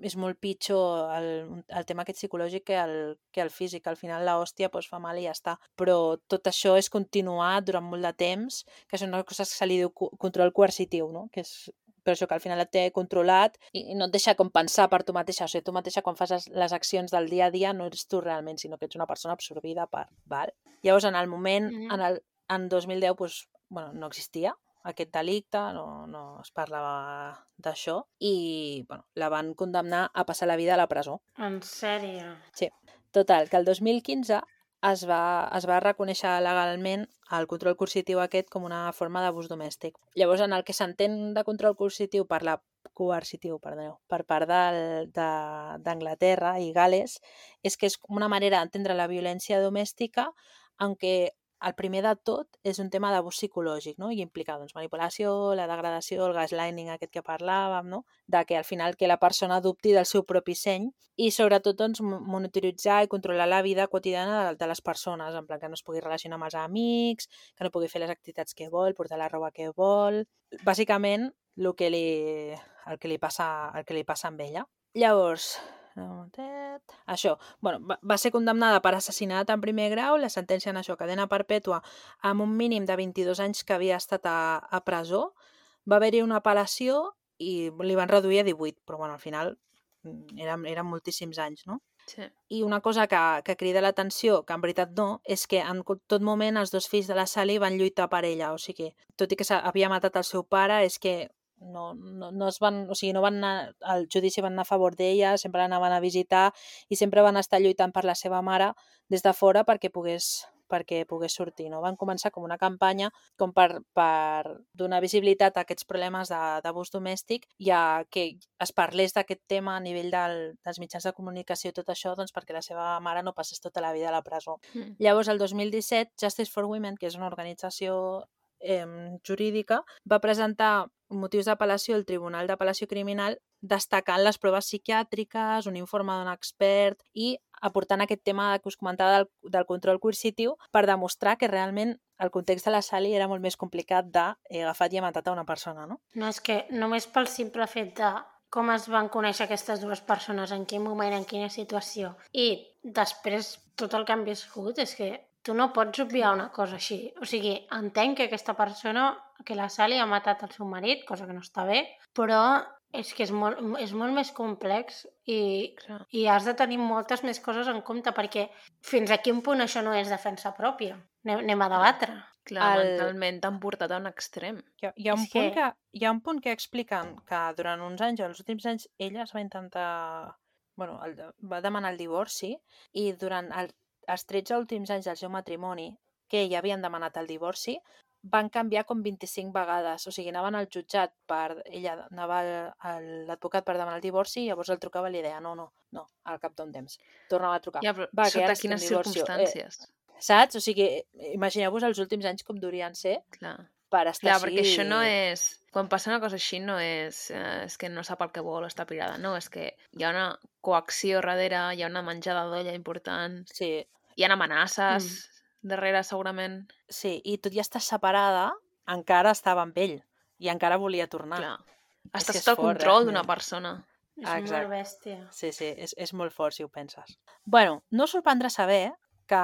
[SPEAKER 3] és molt pitjor el, el tema aquest psicològic que el, que el físic. Al final l'hòstia pues, fa mal i ja està. Però tot això és continuat durant molt de temps, que són unes coses que se li diu control coercitiu, no? Que és per això que al final et té controlat i no et deixa com pensar per tu mateixa. O sigui, tu mateixa quan fas les, les accions del dia a dia no ets tu realment, sinó que ets una persona absorbida per... Val? Llavors, en el moment, mm-hmm. en, el, en dos mil deu, pues, bueno, no existia aquest delicte, no, no es parlava d'això i bueno, la van condemnar a passar la vida a la presó.
[SPEAKER 2] En sèrio?
[SPEAKER 3] Sí. Total, que el dos mil quinze es va, es va reconèixer legalment el control coercitiu aquest com una forma d'abús domèstic. Llavors, en el que s'entén de control coercitiu per la coercitiu, perdoneu, per part d'Anglaterra i Gales, és que és una manera d'entendre la violència domèstica en què el primer de tot és un tema d'abús psicològic, no? I implica doncs, manipulació, la degradació, el gaslighting aquest que parlàvem, no? De que al final que la persona dubti del seu propi seny i sobretot doncs, monitoritzar i controlar la vida quotidiana de, de les persones, en plan que no es pugui relacionar amb els amics, que no pugui fer les activitats que vol, portar la roba que vol... Bàsicament, el que li, el que li, passa, el que li passa amb ella. Llavors... Això, bueno, va, va ser condemnada per assassinat en primer grau, la sentència en això, cadena perpètua, amb un mínim de vint-i-dos anys que havia estat a, a presó. Va haver-hi una apel·lació i li van reduir a divuit, però bueno, al final eren, eren moltíssims anys, no?
[SPEAKER 1] Sí.
[SPEAKER 3] I una cosa que, que crida l'atenció, que en veritat no, és que en tot moment els dos fills de la Sally van lluitar per ella, o sigui, tot i que havia matat el seu pare, és que No, no, no es van, o sigui, no van anar, al judici van anar a favor d'ella, sempre l'anaven a visitar i sempre van estar lluitant per la seva mare des de fora perquè pogués, perquè pogués sortir. No? Van començar com una campanya com per, per donar visibilitat a aquests problemes d'abús domèstic i a que es parlés d'aquest tema a nivell del, dels mitjans de comunicació i tot això doncs, perquè la seva mare no passés tota la vida a la presó. Mm. Llavors, el dos mil disset, Justice for Women, que és una organització eh, jurídica, va presentar motius d'apel·lació el Tribunal d'Apel·lació Criminal destacant les proves psiquiàtriques, un informe d'un expert i aportant aquest tema que us comentava del, del control coercitiu per demostrar que realment el context de la Sally era molt més complicat d'haver agafat i ha matat a una persona, no?
[SPEAKER 2] No, és que només pel simple fet de com es van conèixer aquestes dues persones, en quin moment, en quina situació, i després tot el que han viscut, és que tu no pots obviar una cosa així. O sigui, entenc que aquesta persona, que la Sally ha matat el seu marit, cosa que no està bé, però és que és molt, és molt més complex i, i has de tenir moltes més coses en compte, perquè fins a quin punt això no és defensa pròpia. Anem, anem a debatre.
[SPEAKER 1] Clar,
[SPEAKER 3] El-
[SPEAKER 1] mentalment t'han portat a un extrem.
[SPEAKER 3] Hi ha, hi, ha un
[SPEAKER 2] És
[SPEAKER 3] punt
[SPEAKER 2] que-
[SPEAKER 3] que... hi ha un punt que expliquen que durant uns anys, els últims anys, ella es va intentar... Bueno, el, va demanar el divorci i durant el, els tretze últims anys del seu matrimoni, que ella havien demanat el divorci, van canviar com vint-i-cinc vegades. O sigui, anaven al jutjat per... Ella anava al- a l'advocat per demanar el divorci i llavors el trucava i li deia no, no, no, al cap d'un temps. Tornava a trucar.
[SPEAKER 1] Ja, però
[SPEAKER 3] Va, que
[SPEAKER 1] sota
[SPEAKER 3] ara estem
[SPEAKER 1] quines
[SPEAKER 3] divorcio.
[SPEAKER 1] circumstàncies?
[SPEAKER 3] Eh, saps? O sigui, imagineu-vos els últims anys com durien ser
[SPEAKER 1] Clar.
[SPEAKER 3] per estar
[SPEAKER 1] Clar,
[SPEAKER 3] així...
[SPEAKER 1] perquè això no és... Quan passa una cosa així no és, eh, és que no sap el que vol o està pirada, no, és que hi ha una coacció darrere, hi ha una menjada d'olla important,
[SPEAKER 3] Sí,
[SPEAKER 1] hi ha amenaces darrere segurament.
[SPEAKER 3] sí, i tot i estar separada, encara estava amb ell i encara volia tornar.
[SPEAKER 1] Clar.
[SPEAKER 3] És
[SPEAKER 1] Estàs
[SPEAKER 3] que és
[SPEAKER 1] sota el
[SPEAKER 3] fort,
[SPEAKER 1] control d'una
[SPEAKER 3] realment.
[SPEAKER 1] persona.
[SPEAKER 2] És
[SPEAKER 3] Exacte.
[SPEAKER 2] molt bèstia.
[SPEAKER 3] Sí, sí, és, és molt fort si ho penses. Bueno, no us sorprendrà saber que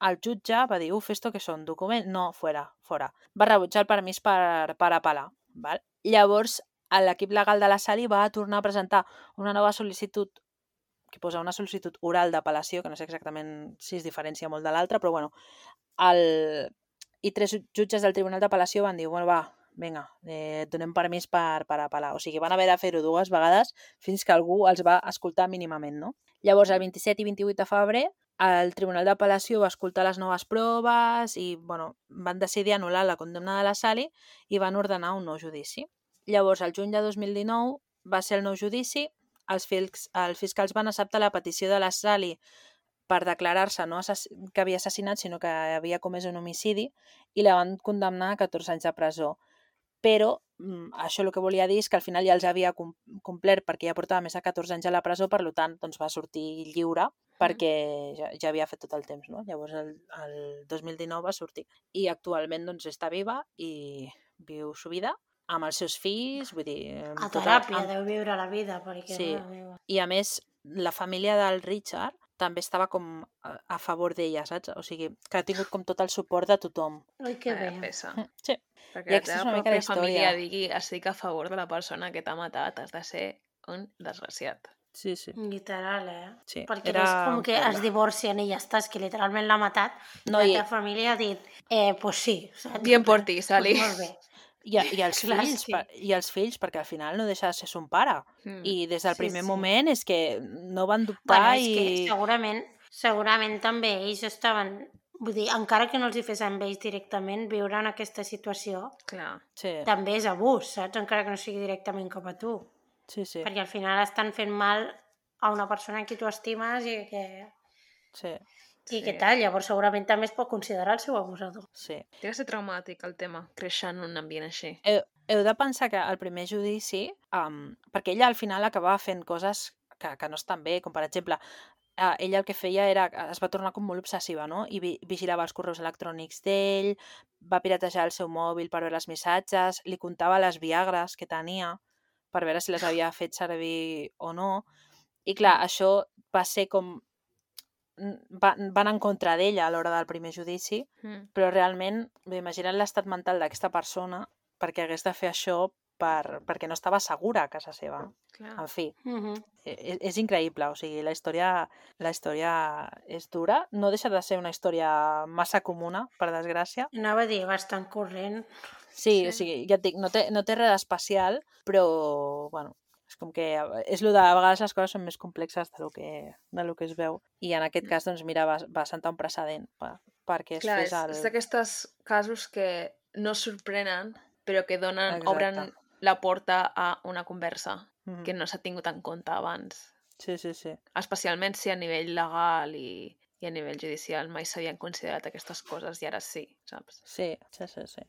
[SPEAKER 3] el jutge va dir, uf, esto que són, document? No, fora, fora. Va rebutjar el permís per, per apel·lar. Val? Llavors, l'equip legal de la Sally va tornar a presentar una nova sol·licitud que posa una sol·licitud oral d'apel·lació, que no sé exactament si es diferencia molt de l'altra, però bueno, el... i tres jutges del Tribunal d'Apel·lació van dir, bueno, va, vinga, eh, donem permís per, per apel·lar. O sigui, van haver de fer-ho dues vegades fins que algú els va escoltar mínimament, no? Llavors, el vint-i-set i vint-i-vuit de febrer, el Tribunal d'Apel·lació va escoltar les noves proves i, bueno, van decidir anul·lar la condemna de la Sally i van ordenar un nou judici. Llavors, el juny de dos mil dinou va ser el nou judici, els, fils, els fiscals van acceptar la petició de la Sally per declarar-se no assass que havia assassinat, sinó que havia comès un homicidi i la van condemnar a catorze anys de presó. Però mm, això el que volia dir és que al final ja els havia com complert perquè ja portava més de catorze anys a la presó, per tant doncs va sortir lliure perquè ja, ja havia fet tot el temps, no? Llavors el, el dos mil dinou va sortir i actualment doncs està viva i viu su vida amb els seus fills, vull dir...
[SPEAKER 2] A
[SPEAKER 3] tota-
[SPEAKER 2] teràpia
[SPEAKER 3] amb-
[SPEAKER 2] deu viure la vida, perquè...
[SPEAKER 3] Sí.
[SPEAKER 2] mare meva.
[SPEAKER 3] I a més, la família del Richard també estava com a, a favor d'ella, saps? O sigui, que ha tingut com tot el suport de tothom.
[SPEAKER 2] Ai, que bé.
[SPEAKER 1] Vaya pesa.
[SPEAKER 3] Sí. I
[SPEAKER 1] Perquè la
[SPEAKER 3] aquesta és
[SPEAKER 1] teva
[SPEAKER 3] una mica la
[SPEAKER 1] pròpia família
[SPEAKER 3] història.
[SPEAKER 1] digui estic a favor de la persona que t'ha matat, has de ser un desgraciat.
[SPEAKER 3] Sí, sí.
[SPEAKER 2] Literal, eh?
[SPEAKER 3] Sí,
[SPEAKER 2] Perquè
[SPEAKER 3] era
[SPEAKER 2] no és com que
[SPEAKER 3] horrible.
[SPEAKER 2] es divorcien i ja està, és que literalment l'ha matat.
[SPEAKER 3] No,
[SPEAKER 2] la
[SPEAKER 3] i-
[SPEAKER 2] teva família ha dit, eh, pues sí. Saps?
[SPEAKER 1] Bien por ti, Sally.
[SPEAKER 2] Pues molt bé.
[SPEAKER 3] I, I els
[SPEAKER 2] Clar,
[SPEAKER 3] fills,
[SPEAKER 2] sí.
[SPEAKER 3] per, i els fills, perquè al final no deixa de ser son pare.
[SPEAKER 1] Mm.
[SPEAKER 3] I des del
[SPEAKER 2] Sí,
[SPEAKER 3] primer
[SPEAKER 2] sí.
[SPEAKER 3] moment és que no van dubtar
[SPEAKER 2] Bueno, és que
[SPEAKER 3] i...
[SPEAKER 2] segurament, segurament també ells estaven... Vull dir, encara que no els hi fes amb ells directament, viure en aquesta situació
[SPEAKER 1] Clar.
[SPEAKER 3] Sí,
[SPEAKER 2] també és abús, saps? Encara que no sigui directament cap a tu.
[SPEAKER 3] sí, sí.
[SPEAKER 2] Perquè al final estan fent mal a una persona a qui tu estimes i que,
[SPEAKER 3] sí,
[SPEAKER 2] i
[SPEAKER 1] Sí.
[SPEAKER 2] que tal. Llavors segurament també es pot considerar el seu abusador.
[SPEAKER 3] sí.
[SPEAKER 1] Té que ser traumàtic el tema, créixer en un ambient així.
[SPEAKER 3] Heu, heu de pensar que al primer judici, um, perquè ella al final acabava fent coses que, que no estan bé, com per exemple, uh, ella el que feia era, es va tornar com molt obsessiva, no? I vi, vigilava els correus electrònics d'ell, va piratejar el seu mòbil per veure els missatges, li contava les viagres que tenia per veure si les havia fet servir o no. I clar, això va ser com... Va, van en contra d'ella a l'hora del primer judici,
[SPEAKER 1] Mm.
[SPEAKER 3] però realment, bé, imagina't l'estat mental d'aquesta persona perquè hagués de fer això per, perquè no estava segura a casa seva.
[SPEAKER 1] Clar.
[SPEAKER 3] En fi,
[SPEAKER 2] Uh -huh.
[SPEAKER 3] és, és increïble, o sigui, la història, la història és dura, no deixa de ser una història massa comuna, per desgràcia.
[SPEAKER 2] Anava a dir, bastant corrent.
[SPEAKER 3] Sí,
[SPEAKER 1] Sí.
[SPEAKER 3] o sigui, ja et dic, no té, no té res d'especial, però, bueno, és com que és lo de, a vegades les coses són més complexes de lo que, de lo que es veu. I en aquest cas, doncs, mira, va, va sentar un precedent per, perquè es
[SPEAKER 1] Clar,
[SPEAKER 3] fes
[SPEAKER 1] és,
[SPEAKER 3] el...
[SPEAKER 1] és d'aquestos casos que no sorprenen, però que donen,
[SPEAKER 3] Exacte.
[SPEAKER 1] obren la porta a una conversa
[SPEAKER 3] Mhm.
[SPEAKER 1] que no s'ha tingut en compte abans.
[SPEAKER 3] Sí, sí, sí.
[SPEAKER 1] Especialment si a nivell legal i, i a nivell judicial mai s'havien considerat aquestes coses i ara sí, saps?
[SPEAKER 3] Sí, sí, sí, sí.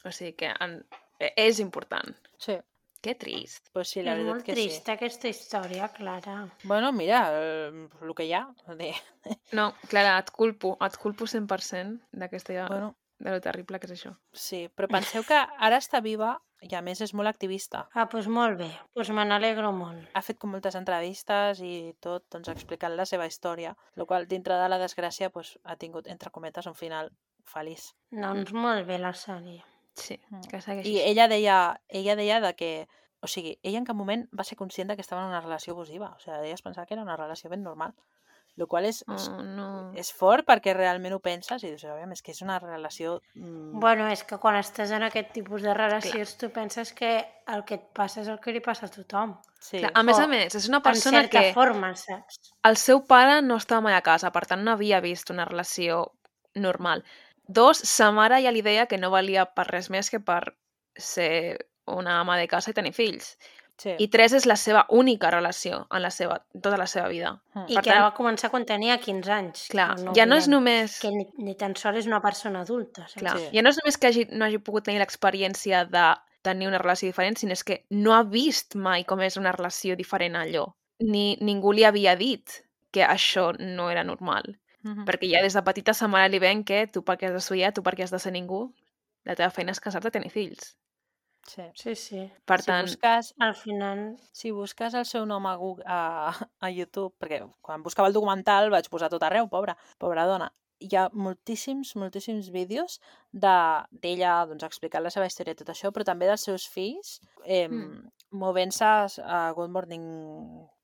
[SPEAKER 1] O sigui que en, és important.
[SPEAKER 3] Sí.
[SPEAKER 1] Que trist.
[SPEAKER 3] Pues sí, la
[SPEAKER 2] És
[SPEAKER 3] veritat
[SPEAKER 2] molt
[SPEAKER 3] que
[SPEAKER 2] trista aquesta història, Clara.
[SPEAKER 3] sí. Bueno, mira, el, el que hi ha. De...
[SPEAKER 1] No, Clara, et culpo, et culpo cent per cent d'aquesta...
[SPEAKER 3] Bueno,
[SPEAKER 1] de lo terrible que és això.
[SPEAKER 3] sí, però penseu que ara està viva i a més és molt activista.
[SPEAKER 2] Ah, doncs molt bé. Doncs me n'alegro molt.
[SPEAKER 3] Ha fet com moltes entrevistes i tot, doncs explicant la seva història, el qual dintre de la desgràcia pues, ha tingut, entre cometes, un final feliç.
[SPEAKER 2] Doncs molt bé la sèrie.
[SPEAKER 1] Sí, que segueixi.
[SPEAKER 3] I ella deia, ella deia de que, o sigui, ella en cap moment va ser conscient de que estava en una relació abusiva. O sigui, ella es pensava que era una relació ben normal. El qual és, és,
[SPEAKER 1] Oh, no.
[SPEAKER 3] és fort perquè realment ho penses i dius, aviam, és que és una relació... Mm,
[SPEAKER 2] Bueno, és que quan estàs en aquest tipus de relacions tu penses que el que et passa és el que li passa a tothom.
[SPEAKER 3] sí.
[SPEAKER 1] Clar, a més
[SPEAKER 2] O
[SPEAKER 1] a més, és una
[SPEAKER 2] En
[SPEAKER 1] persona
[SPEAKER 2] certa
[SPEAKER 1] que
[SPEAKER 2] forma, saps?
[SPEAKER 1] el seu pare no estava mai a casa, per tant no havia vist una relació normal. Dos, sa mare ja li deia que no valia per res més que per ser una ama de casa i tenir fills.
[SPEAKER 3] Sí.
[SPEAKER 1] I tres, és la seva única relació en la seva, tota la seva vida.
[SPEAKER 3] Mm.
[SPEAKER 2] I
[SPEAKER 1] Per
[SPEAKER 2] que
[SPEAKER 1] tant-
[SPEAKER 2] va començar quan tenia quinze anys.
[SPEAKER 1] Clar,
[SPEAKER 2] que
[SPEAKER 1] ja no és
[SPEAKER 2] oblidem.
[SPEAKER 1] només...
[SPEAKER 2] Que ni, ni tan sols és una persona adulta. Saps?
[SPEAKER 1] Clar,
[SPEAKER 3] Sí.
[SPEAKER 1] ja no és només que hagi, no hagi pogut tenir l'experiència de tenir una relació diferent, sinó és que no ha vist mai com és una relació diferent a allò. Ni ningú li havia dit que això no era normal.
[SPEAKER 3] Mhm.
[SPEAKER 1] Perquè ja des de petita sa mare li ven que tu perquè has d'estudiar, tu perquè has de ser ningú, la teva feina és casar-te i tenir fills.
[SPEAKER 3] Sí.
[SPEAKER 2] Sí, sí.
[SPEAKER 1] Per
[SPEAKER 3] Si
[SPEAKER 1] tant,
[SPEAKER 3] busques,
[SPEAKER 2] Al final...
[SPEAKER 3] si busques el seu nom a, Google, a, a YouTube, perquè quan buscava el documental vaig posar tot arreu, pobra, pobra dona, hi ha moltíssims, moltíssims vídeos de- d'ella doncs, explicant la seva història i tot això, però també dels seus fills eh,
[SPEAKER 1] Mm.
[SPEAKER 3] movent-se a Good Morning,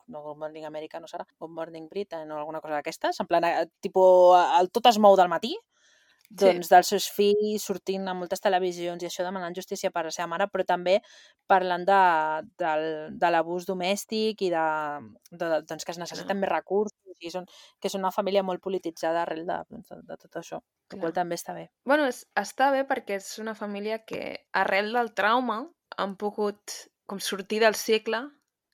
[SPEAKER 3] no Good Morning America, no serà, Good Morning Britain o alguna cosa d'aquestes, en plan, eh, tipo, el tot es mou del matí, doncs dels seus fills sortint a moltes televisions i això demanant justícia per la seva mare, però també parlant de, del, de l'abús domèstic i de, de, doncs que es necessiten més recursos i són, que és una família molt polititzada arrel de, doncs, de, de tot això, el
[SPEAKER 1] Clar.
[SPEAKER 3] qual també està bé.
[SPEAKER 1] bueno, és, està bé perquè és una família que arrel del trauma han pogut com sortir del cicle,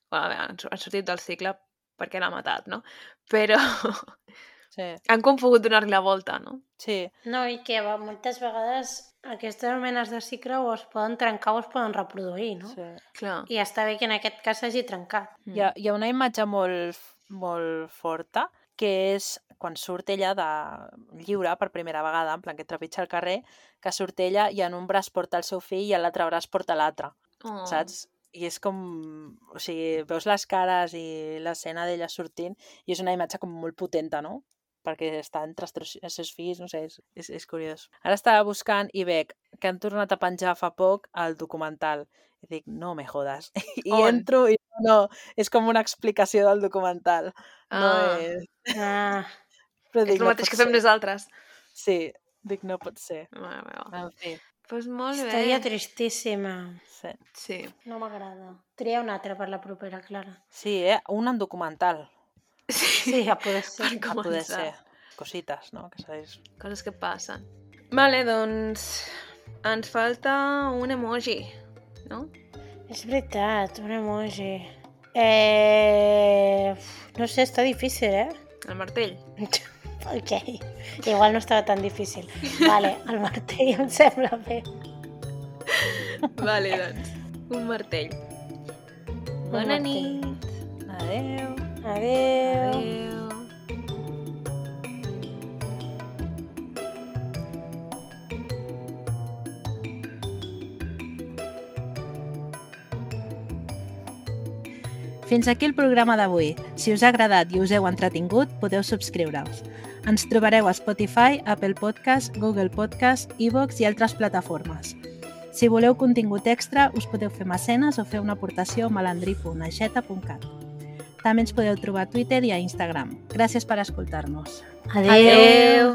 [SPEAKER 1] bueno, a veure, han han sortit del cicle perquè l'ha matat, no? Però
[SPEAKER 3] Sí,
[SPEAKER 1] han com pogut donar-li la volta, no?
[SPEAKER 3] sí,
[SPEAKER 2] No, i que va, moltes vegades aquestes menes de cicle o es poden trencar o es poden reproduir, no?
[SPEAKER 3] sí.
[SPEAKER 1] Clar.
[SPEAKER 2] I està bé que en aquest cas s'hagi trencat.
[SPEAKER 1] Mm.
[SPEAKER 3] Hi ha, hi ha una imatge molt, molt forta que és quan surt ella de lliure per primera vegada, en plan que trepitja el carrer, que surt ella i en un braç porta el seu fill i en l'altre braç porta l'altre,
[SPEAKER 1] Oh.
[SPEAKER 3] saps? I és com... O sigui, veus les cares i l'escena d'ella sortint i és una imatge com molt potenta, no? Perquè està entre els, tres, els seus fills, no sé, és, és, és curiós. Ara estava buscant i veig que han tornat a penjar fa poc el documental. I dic, no me jodes. I
[SPEAKER 1] On?
[SPEAKER 3] entro i no, és com una explicació del documental. No
[SPEAKER 1] Ah.
[SPEAKER 3] és...
[SPEAKER 2] Ah,
[SPEAKER 3] Però
[SPEAKER 1] És
[SPEAKER 3] dic,
[SPEAKER 1] el
[SPEAKER 3] no
[SPEAKER 1] mateix
[SPEAKER 3] pot
[SPEAKER 1] que fem
[SPEAKER 3] ser.
[SPEAKER 1] nosaltres.
[SPEAKER 3] Sí, dic, no pot ser.
[SPEAKER 1] Mare meva.
[SPEAKER 3] En fi,
[SPEAKER 1] Pues molt
[SPEAKER 2] història
[SPEAKER 1] bé.
[SPEAKER 2] tristíssima.
[SPEAKER 3] sí.
[SPEAKER 1] Sí.
[SPEAKER 2] No m'agrada. Tria una altra per la propera, Clara.
[SPEAKER 3] Sí, eh? Un en documental,
[SPEAKER 2] Sí, a poder ser.
[SPEAKER 1] Per
[SPEAKER 3] a poder
[SPEAKER 1] començar.
[SPEAKER 3] ser. Cosites, no? Que sabeu.
[SPEAKER 1] Coses que passen. Vale, doncs ens falta un emoji, no?
[SPEAKER 2] És veritat, un emoji. Eh... No sé, està difícil, eh?
[SPEAKER 1] El martell.
[SPEAKER 2] Ok. Igual no estava tan difícil. Vale, el martell em sembla bé.
[SPEAKER 1] Vale, doncs. Un martell. Bona
[SPEAKER 2] martell.
[SPEAKER 1] nit.
[SPEAKER 3] Adeu.
[SPEAKER 2] Adéu.
[SPEAKER 1] Adéu.
[SPEAKER 3] Fins aquí el programa d'avui. Si us ha agradat i us heu entretingut, podeu subscriure-us. Ens trobareu a Spotify, Apple Podcast, Google Podcast, iVoox i altres plataformes. Si voleu contingut extra, us podeu fer mecenes o fer una aportació a malandrí punt aixeta punt cat. També ens podeu trobar a Twitter i a Instagram. Gràcies per escoltar-nos.
[SPEAKER 2] Adéu.
[SPEAKER 1] Adéu.